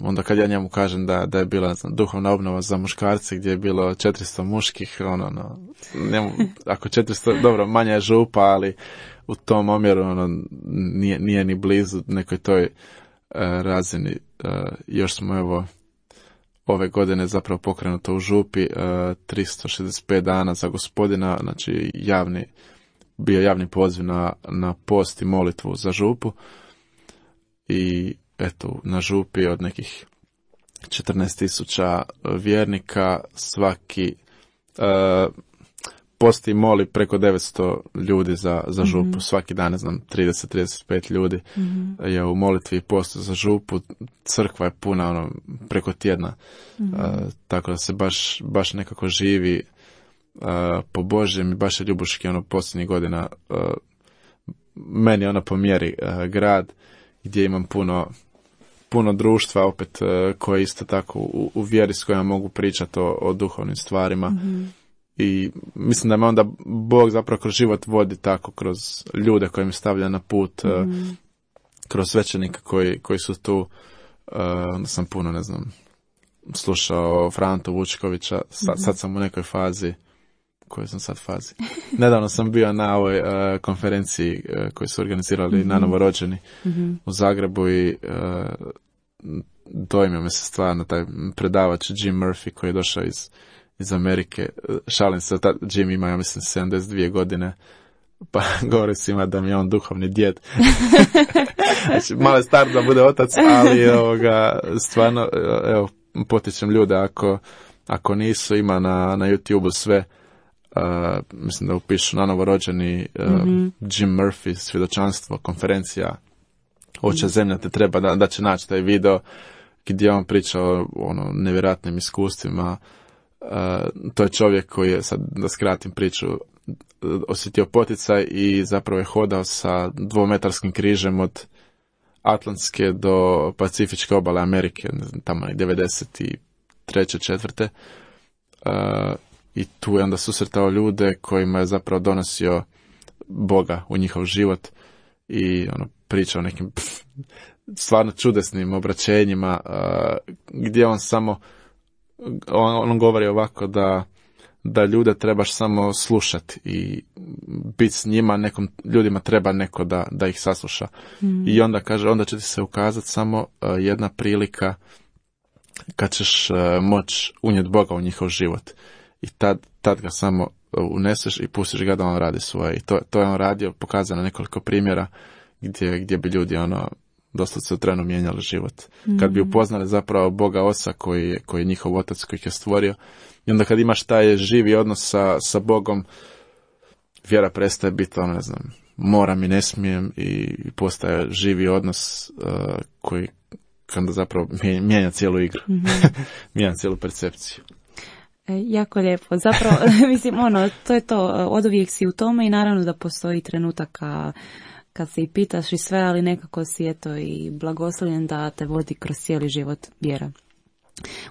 onda kad ja njemu kažem da je bila duhovna obnova za muškarce gdje je bilo 400 muških, njemu, ako 400, dobro, manja je župa, ali u tom omjeru nije ni blizu nekoj toj razini. Još smo evo ove godine zapravo pokrenuto u župi 365 dana za Gospodina, znači bio javni poziv na post i molitvu za župu. I eto, na župi od nekih 14,000 vjernika svaki posti i moli preko 900 ljudi za župu. Svaki dan, ne znam, 30-35 ljudi je u molitvi i postu za župu. Crkva je puna preko tjedna. Tako da se baš nekako živi po Božjem i baš je Ljubuški posljednjih godina meni po mjeri grad gdje imam puno društva opet koje isto tako u vjeri s kojima mogu pričati o duhovnim stvarima. I mislim da me onda Bog zapravo kroz život vodi tako, kroz ljude koje mi stavlja na put, kroz svećenika koji su tu. Onda sam puno, ne znam, slušao Frantu Vučkovića, sad sam u nekoj fazi. Kojoj sam sad fazi? Nedavno sam bio na ovoj konferenciji koju su organizirali na novorođeni u Zagrebu i dojmio me se stvarno taj predavač Jim Murphy koji je došao iz Amerike. Šalim se, Jim ima, ja mislim, 72 godine, pa govori svima da mi je on duhovni djed. Znači, malo je star da bude otac, ali stvarno, evo, potičem ljude, ako nisu, ima na YouTube sve. Mislim da upišu na novorođeni Jim Murphy, svjedočanstvo, konferencija Oče zemlja te treba, da će naći taj video gdje on priča o nevjerojatnim iskustvima. To je čovjek koji je, sad da skratim priču, osjetio poticaj i zapravo je hodao sa 2-metarskim križem od Atlantske do Pacifičke obale Amerike, tamo 93. 4. I tu je onda susretao ljude kojima je zapravo donosio Boga u njihov život i pričao o nekim stvarno čudesnim obraćenjima gdje on samo on govori ovako da ljude trebaš samo slušati i biti s njima, ljudima treba neko da ih sasluša. I onda kaže, onda će ti se ukazati samo jedna prilika kad ćeš moći unijeti Boga u njihov život. I tad ga samo uneseš i pustiš ga da on radi svoje. I to je on radio, pokazano nekoliko primjera gdje bi ljudi doslovce u trenu mijenjali život. Kad bi upoznali zapravo Boga Oca koji je njihov otac koji ih je stvorio. I onda kad imaš taj živi odnos sa Bogom, vjera prestaje biti ne znam, moram i ne smijem i postaje živi odnos koji kada zapravo mijenja cijelu igru. Mijenja cijelu percepciju. Jako lijepo. Zapravo, mislim, to je to, oduvijek si u tome i naravno da postoji trenutaka kad se i pitaš i sve, ali nekako si eto i blagoslovljen da te vodi kroz cijeli život vjera.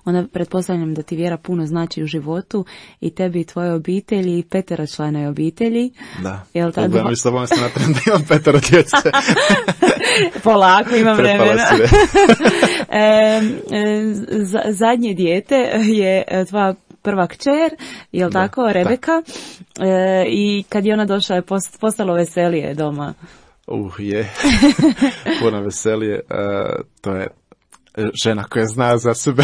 Onda pretpostavljam da ti vjera puno znači u životu i tebi i tvoje obitelji i 5-članoj obitelji. Da, mi s tobom se natram da imam 5 djece. Polako, imam vremena. Zadnje dijete je tvoja prva kćer, jel tako, Rebeka? I kad je ona došla je postalo veselije doma. Je. Puno veselije. To je žena koja zna za sebe,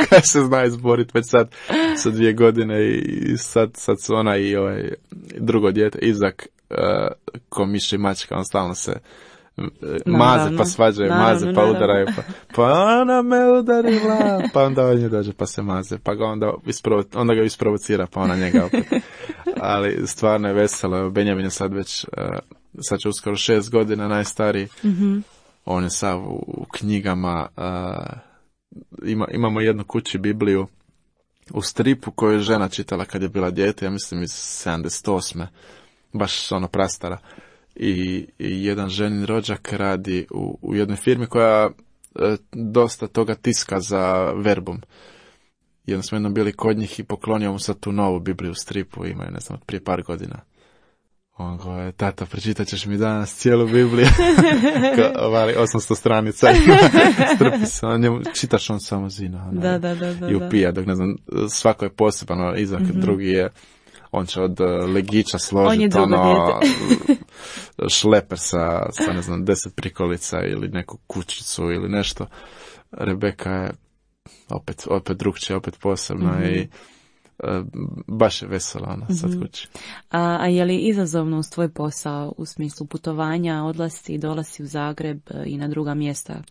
koja se zna izboriti već sad sa 2 godine i sad su ona i drugo dijete, Izak, ko miš i mačka, on stalno se maze pa svađaju, maze pa udaraju, pa ona me udarila, pa onda on nje dođe pa se maze, pa ga onda ga isprovocira, pa ona njega opet. Ali stvarno je veselo. Benjamin je sad već, sad će uskoro 6 godina, najstariji. On je sav u knjigama. Imamo jednu kući Bibliju u stripu koju je žena čitala kad je bila dijete, ja mislim iz 78. Baš prastara. I jedan ženin rođak radi u jednoj firmi koja dosta toga tiska za Verbum. Jednom smo bili kod njih i poklonio mu sad tu novu Bibliju u stripu, imaju, ne znam, prije par godina. On goje, tata, pročitat ćeš mi danas cijelu Bibliju. 800 stranica. Strpi se, čitaš on samo zina. I upija, dok ne znam, svako je poseban, Izak, drugi je, on će od legića složiti šleper sa, ne znam, 10 prikolica ili neku kućicu ili nešto. Rebeka je opet drugčija, opet posebna i baš je vesela ona sad kući. A je li izazovno uz tvoj posao u smislu putovanja, odlasci i dolasci u Zagreb i na druga mjesta?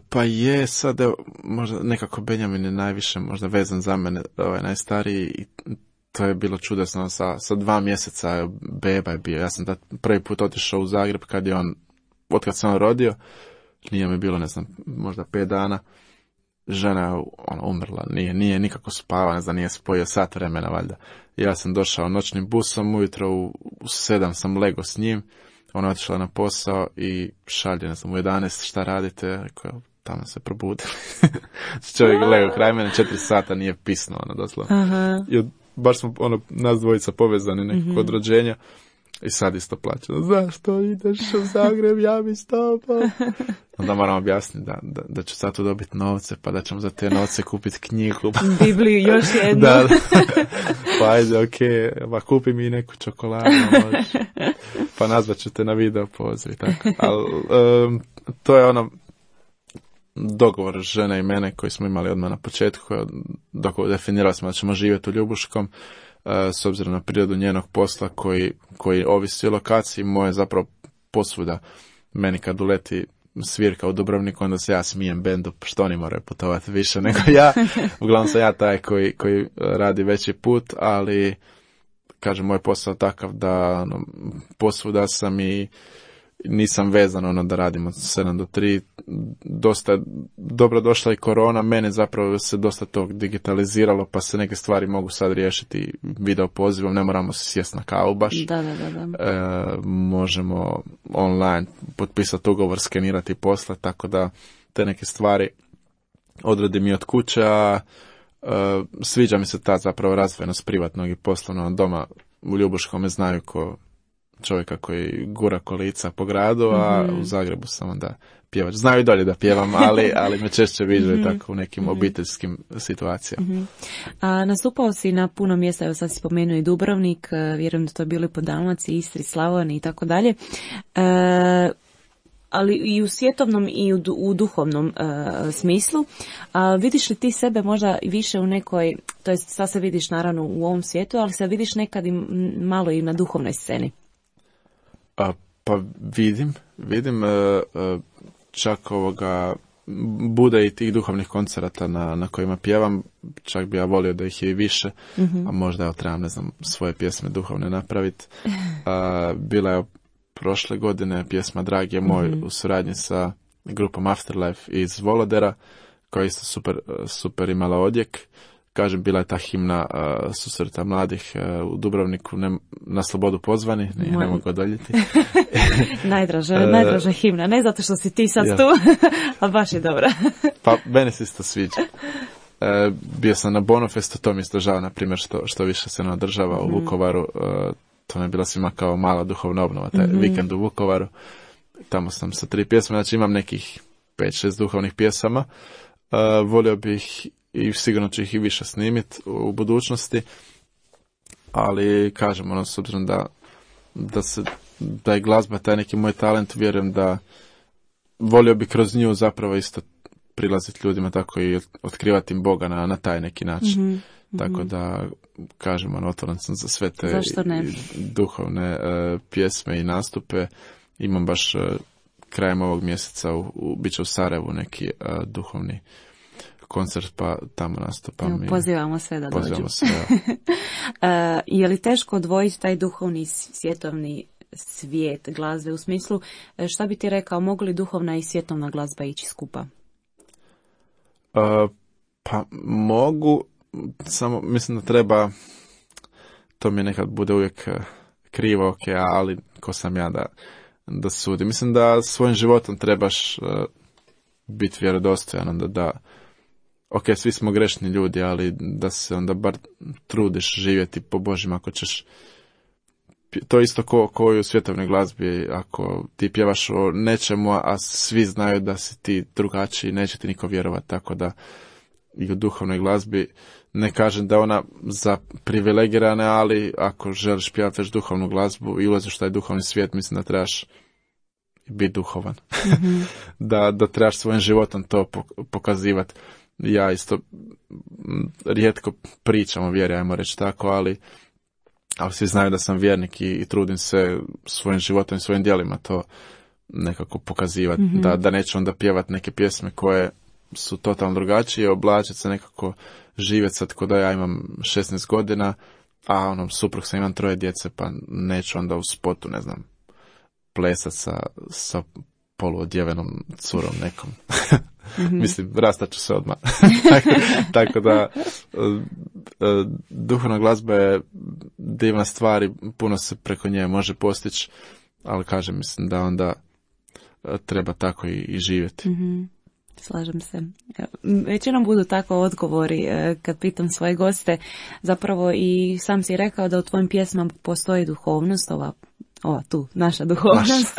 Pa je, sad možda nekako Benjamin je najviše možda vezan za mene, najstariji, i to je bilo čudesno sa 2 mjeseca beba je bio. Ja sam prvi put otišao u Zagreb otkad sam rodio, nije mi bilo, ne znam, možda 5 dana. Žena je umrla, nije nikako spava, ne znam, nije spojio sat vremena valjda. Ja sam došao noćnim busom, ujutro u 7 sam lego s njim, ona je otišla na posao i šalje, ne znam, u 11 šta radite, rekao, tamo se probudili. Čovjek lego kraj mene, 4 sata nije pisno, doslovno. I baš smo, nas dvojica povezani nekako od rođenja. I sad isto plaća. Zašto ideš u Zagreb, ja bi s tobom? Onda moram objasniti da ću sad tu dobiti novce, pa da ćemo za te novce kupiti knjigu. Bibliju još jednu. Da. Pa ajde, okej, pa kupi mi neku čokoladu. Pa nazvat ću te na video poziv. Ali to je dogovor žene i mene koji smo imali odmah na početku. Definirali smo da ćemo živjeti u Ljubuškom. S obzirom na prirodu njenog posla koji ovisi o lokaciji, moje zapravo posvuda. Meni kad uleti svirka u Dubrovniku, onda se ja smijem bendu, što oni moraju putovati više nego ja. Uglavnom sam ja taj koji radi veći put, ali kažem, moj posao je takav da posvuda sam i nisam vezan da radimo od 7 do 3. Dosta je dobro došla i korona, mene zapravo se dosta tog digitaliziralo, pa se neke stvari mogu sad riješiti video pozivom, ne moramo se sjesti na kavu baš. Da. Možemo online potpisati ugovor, skenirati posle, tako da te neke stvari odradim i od kuće, a sviđa mi se ta zapravo razvojenost privatnog i poslovnog. Doma u Ljubuškom me znaju ko čovjeka koji gura kolica po gradu, a u Zagrebu sam onda pjevač. Znaju i dolje da pjevam, ali me češće viđaju tako u nekim obiteljskim situacijama. A nastupao si na puno mjesta, evo sad si spomenuo i Dubrovnik, vjerujem da to je bilo i po Dalmaciji, Istri, Slavoniji i tako dalje. Ali i u svjetovnom i u duhovnom smislu. Vidiš li ti sebe možda više u nekoj, to jest sad se vidiš naravno u ovom svijetu, ali se vidiš nekad i malo i na duhovnoj sceni? Pa vidim čak bude i tih duhovnih koncerata na kojima pjevam, čak bi ja volio da ih je i više, a možda trebam, ne znam, svoje pjesme duhovne napraviti. Bila je prošle godine pjesma Dragi je moj u suradnji sa grupom Afterlife iz Volodera, koja je isto super imala odjek. Kažem, bila je ta himna susreta mladih u Dubrovniku, na slobodu pozvani, ne mogu odoljiti. najdraža himna, ne zato što si ti sad tu, a baš je dobra. Pa, meni se isto sviđa. Bio sam na Bonofestu, to mi isto žao, na primjer, što više se ne održava u Vukovaru. To mi je bila svima kao mala duhovna obnova, taj vikend u Vukovaru. Tamo sam sa 3 pjesme, znači imam nekih 5-6 duhovnih pjesama. Volio bih i sigurno ću ih i više snimiti u budućnosti, ali kažem, s obzirom da je glazba taj neki moj talent, vjerujem da volio bi kroz nju zapravo isto prilaziti ljudima, tako i otkrivati im Boga na taj neki način. Tako da, kažem, otvoren sam za sve te duhovne pjesme i nastupe. Imam baš krajem ovog mjeseca bit će u Sarajevu neki duhovni koncert, pa tamo nastupam. Pozivamo sve da dođu. Je li teško odvojiti taj duhovni svjetovni svijet glazbe, u smislu, šta bi ti rekao, mogu li duhovna i svjetovna glazba ići skupa? Pa mogu, samo mislim da treba, to mi nekad bude uvijek krivo, ali ko sam ja da sudim. Mislim da svojim životom trebaš biti vjerodostojan, da svi smo grešni ljudi, ali da se onda bar trudiš živjeti po Božjem. Ako ćeš to isto ko i u svjetovnoj glazbi, ako ti pjevaš o nečemu, a svi znaju da si ti drugačiji, neće ti niko vjerovati, tako da i u duhovnoj glazbi, ne kažem da ona za privilegirane, ali ako želiš pjevati već duhovnu glazbu i ulaziš u taj duhovni svijet, mislim da trebaš biti duhovan. Mm-hmm. da trebaš svojim životom to pokazivati. Ja isto rijetko pričam o vjeri, ajmo reći tako, ali svi znaju da sam vjernik i trudim se svojim životom i svojim djelima to nekako pokazivati. Mm-hmm. Da neću onda pjevati neke pjesme koje su totalno drugačije, oblačiti se nekako, živjeti sad kod da ja imam 16 godina, a suprug sam, imam 3 djece, pa neću onda u spotu, ne znam, plesat sa poluodjevenom curom nekom. Mm-hmm. Mislim, rastat ću se odmah. Tako da duhovna glazba je divna stvar i puno se preko nje može postići, ali kažem, mislim da onda treba tako i živjeti. Mm-hmm. Slažem se. Većinom budu tako odgovori kad pitam svoje goste. Zapravo i sam si rekao da u tvojim pjesmama postoji duhovnost, ova tu, naša duhovnost.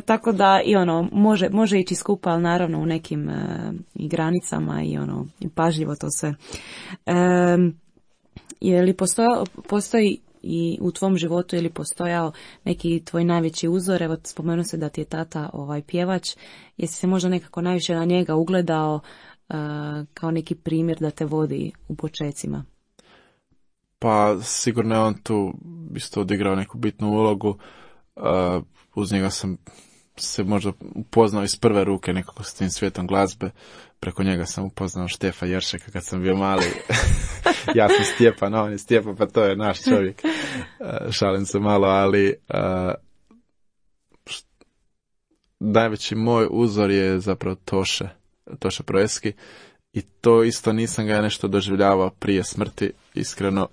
Tako da i može ići skupa, ali naravno u nekim i granicama i pažljivo to sve. Je li postoji i u tvom životu ili postojao neki tvoj najveći uzor? Evo, spomenuo se da ti je tata pjevač. Jesi se možda nekako najviše na njega ugledao kao neki primjer da te vodi u počecima? Pa sigurno je on tu isto odigrao neku bitnu ulogu. Uz njega sam se možda upoznao iz prve ruke nekako s tim svijetom glazbe. Preko njega sam upoznao Štefa Jeršeka kad sam bio mali. Ja sam Stjepan, on je Stjepan, pa to je naš čovjek. Šalim se malo, ali najveći moj uzor je zapravo Toše Proeski. I to isto nisam ga nešto doživljavao prije smrti, iskreno,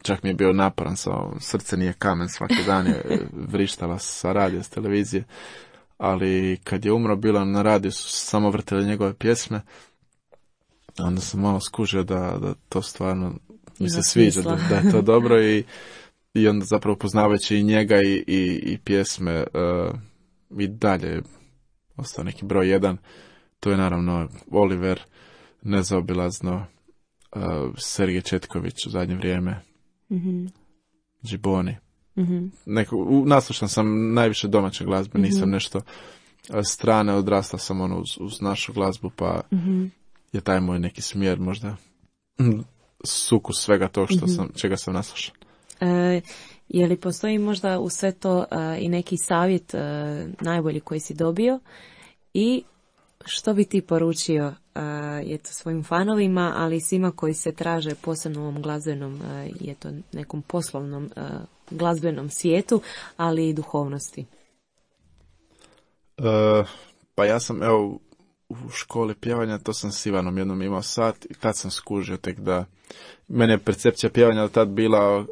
čak mi je bio naporan, srce nije kamen, svaki dan je vrištala sa radija, s televizije, ali kad je umro, bilo na radiju su samo vrtili njegove pjesme, onda sam malo skužio da to stvarno mi se sviđa, da je to dobro i onda zapravo poznavajući i njega i pjesme i dalje ostao neki broj 1, to je naravno Oliver, nezaobilazno, Sergej Četković u zadnje vrijeme, mm-hmm. Džiboni. Mm-hmm. Naslušan sam najviše domaće glazbe, mm-hmm. nisam nešto strane, odrastao sam uz našu glazbu, pa mm-hmm. je taj moj neki smjer možda sukus svega tog mm-hmm. čega sam naslušan. Je li postoji možda u sve to i neki savjet najbolji koji si dobio i što bi ti poručio svojim fanovima, ali i svima koji se traže posebno u ovom glazbenom nekom poslovnom glazbenom svijetu, ali i duhovnosti? Pa ja sam u školi pjevanja, to sam s Ivanom jednom imao sat i tad sam skužio tek da mene je percepcija pjevanja do tad bila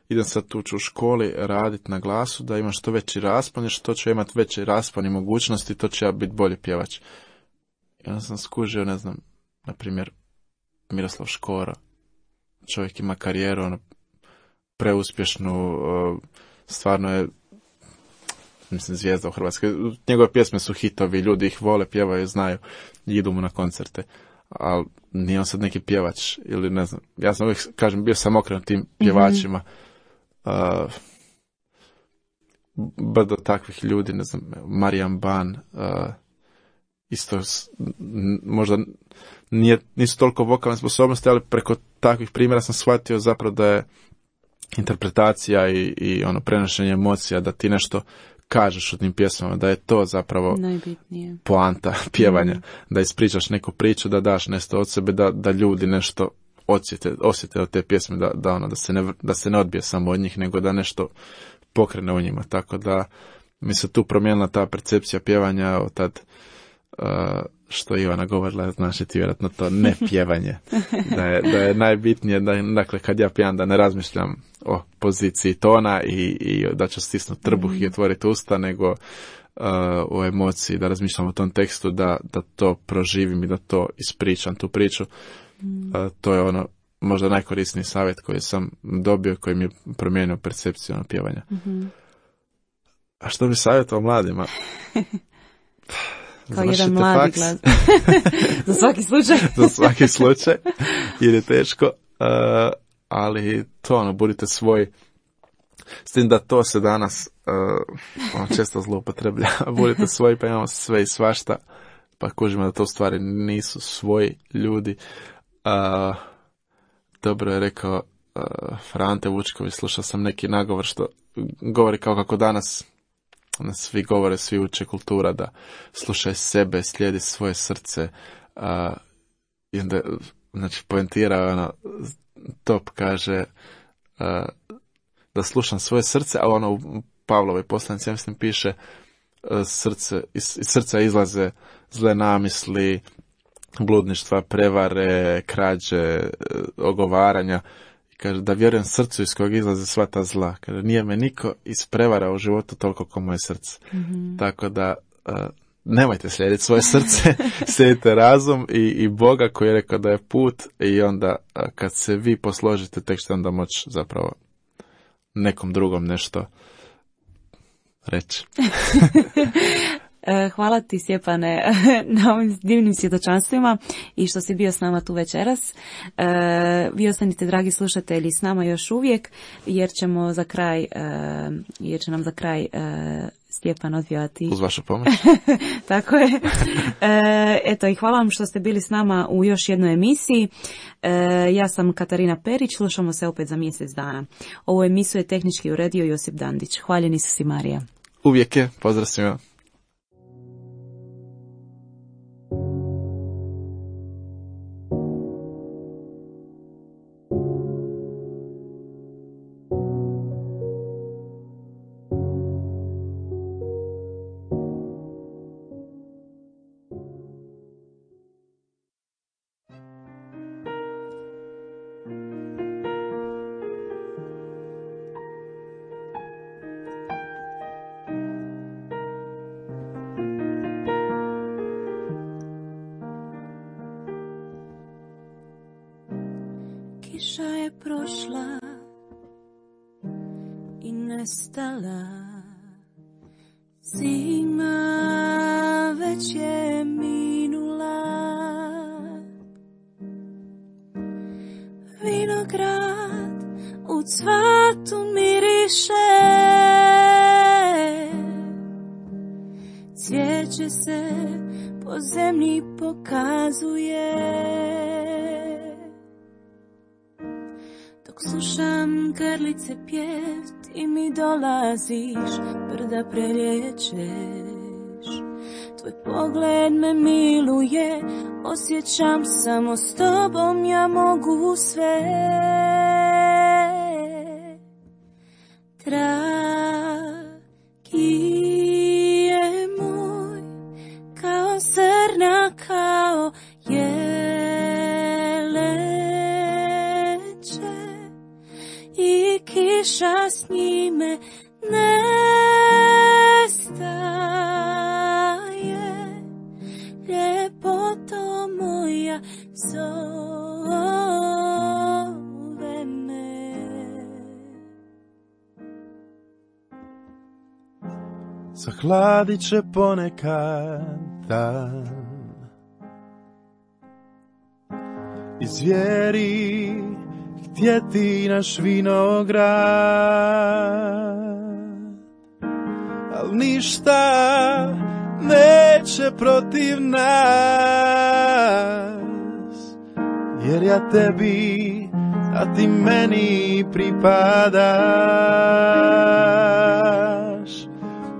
idem sad tu u školi raditi na glasu, da imam što veći raspon, jer što ću imati veći raspon i mogućnosti, to će ja biti bolji pjevač. I onda sam skužio, ne znam, na primjer, Miroslav Škoro. Čovjek ima karijeru, preuspješnu, stvarno je, mislim, zvijezda u Hrvatskoj. Njegove pjesme su hitovi, ljudi ih vole, pjevaju, znaju, idu mu na koncerte. Ali nije on sad neki pjevač, ili ne znam. Ja sam uvijek, kažem, bio sam okrenut tim pjevačima. Mm-hmm. Brdo takvih ljudi, ne znam, Marijan Ban, isto možda nisu toliko vokalne sposobnosti, ali preko takvih primjera sam shvatio zapravo da je interpretacija i prenošenje emocija, da ti nešto kažeš u tim pjesmama, da je to zapravo najbitnije. Poanta pjevanja, da ispričaš neku priču, da daš nešto od sebe, da ljudi nešto osjete od te pjesme, da se ne odbije samo od njih, nego da nešto pokrene u njima. Tako da mi se tu promijenila ta percepcija pjevanja od tad što Ivana govorila, znaš ti vjerojatno to ne pjevanje. Da je najbitnije, dakle kad ja pjevam da ne razmišljam o poziciji tona i da ću stisnuti trbuh i otvoriti usta, nego o emociji, da razmišljam o tom tekstu, da to proživim i da to ispričam, tu priču. To je možda najkorisniji savjet koji sam dobio, koji mi je promijenio percepciju na pjevanja. A što bi savjetovao mladima? Kao jedan mladi glas. Za svaki slučaj. Za svaki slučaj, jer je teško, ali to, budite svoji. S tim da to se danas često zloupotreblja. Budite svoji, pa imamo sve i svašta, pa kužimo da to u stvari nisu svoji ljudi. Dobro je rekao Frante Vučković, slušao sam neki nagovor što govori kao kako danas svi govore, svi uče kultura da slušaj sebe, slijedi svoje srce, i onda, znači, poentira, top kaže da slušam svoje srce, a u Pavlovoj poslanici, ja mislim, piše iz srca izlaze zle namisli, bludništva, prevare, krađe, ogovaranja. I kaže da vjerujem srcu iz kojeg izlaze sva ta zla. Kaže, nije me niko isprevarao u životu toliko kao moje srce. Tako da nemojte slijediti svoje srce, slijedite razum i Boga koji je rekao da je put, i onda kad se vi posložite, tek ćete onda moći zapravo nekom drugom nešto reći. Hvala ti, Stjepane, na ovim divnim svjedočanstvima i što si bio s nama tu večeras. Vi ostanite, dragi slušatelji, s nama još uvijek, jer će nam za kraj Stjepan odvijati. Uz vašu pomoć. Tako je. Eto, i hvala vam što ste bili s nama u još jednoj emisiji. Ja sam Katarina Perić, slušamo se opet za mjesec dana. Ovu emisiju je tehnički uredio Josip Dandić. Hvaljeni su si, Marija. Uvijek je, pozdrav svima. Kiša je prošla i nestala, zima već je minula, vinograd u cvatu miriše, cvijeće se po zemlji pokazuje. Slušam grlice pjev, ti mi dolaziš, brda preliječeš. Tvoj pogled me miluje, osjećam samo s tobom ja mogu sve. Dragi je moj, kao zrna, kao kiša s njime nestaje, ljepoto moja zove me. Zahladit će ponekad dan, izvjeri htjeti naš vinograd, al ništa neće protiv nas, jer ja tebi, a ti meni pripadaš.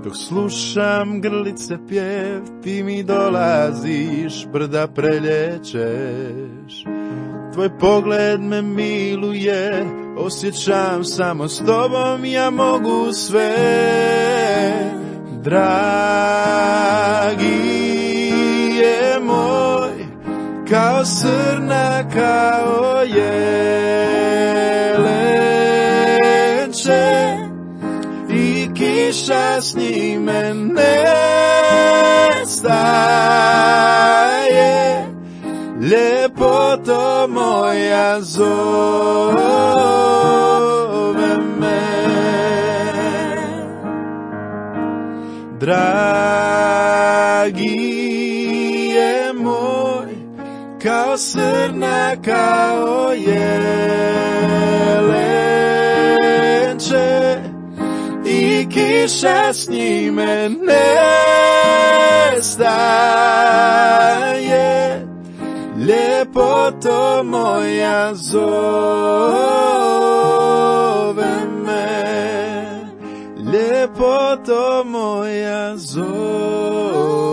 Dok slušam grlice pjev, ti mi dolaziš, brda preliječeš. Tvoj pogled me miluje, osjećam samo s tobom ja mogu sve. Dragi je moj, kao srna, kao jelenče, i kiša s njime nestaje, lijepo ljepoto moja zove me. Dragi je moj, kao srna, kao jelenče, i kiša s njime nestaje. Ljepoto moja zove me, ljepoto moja zove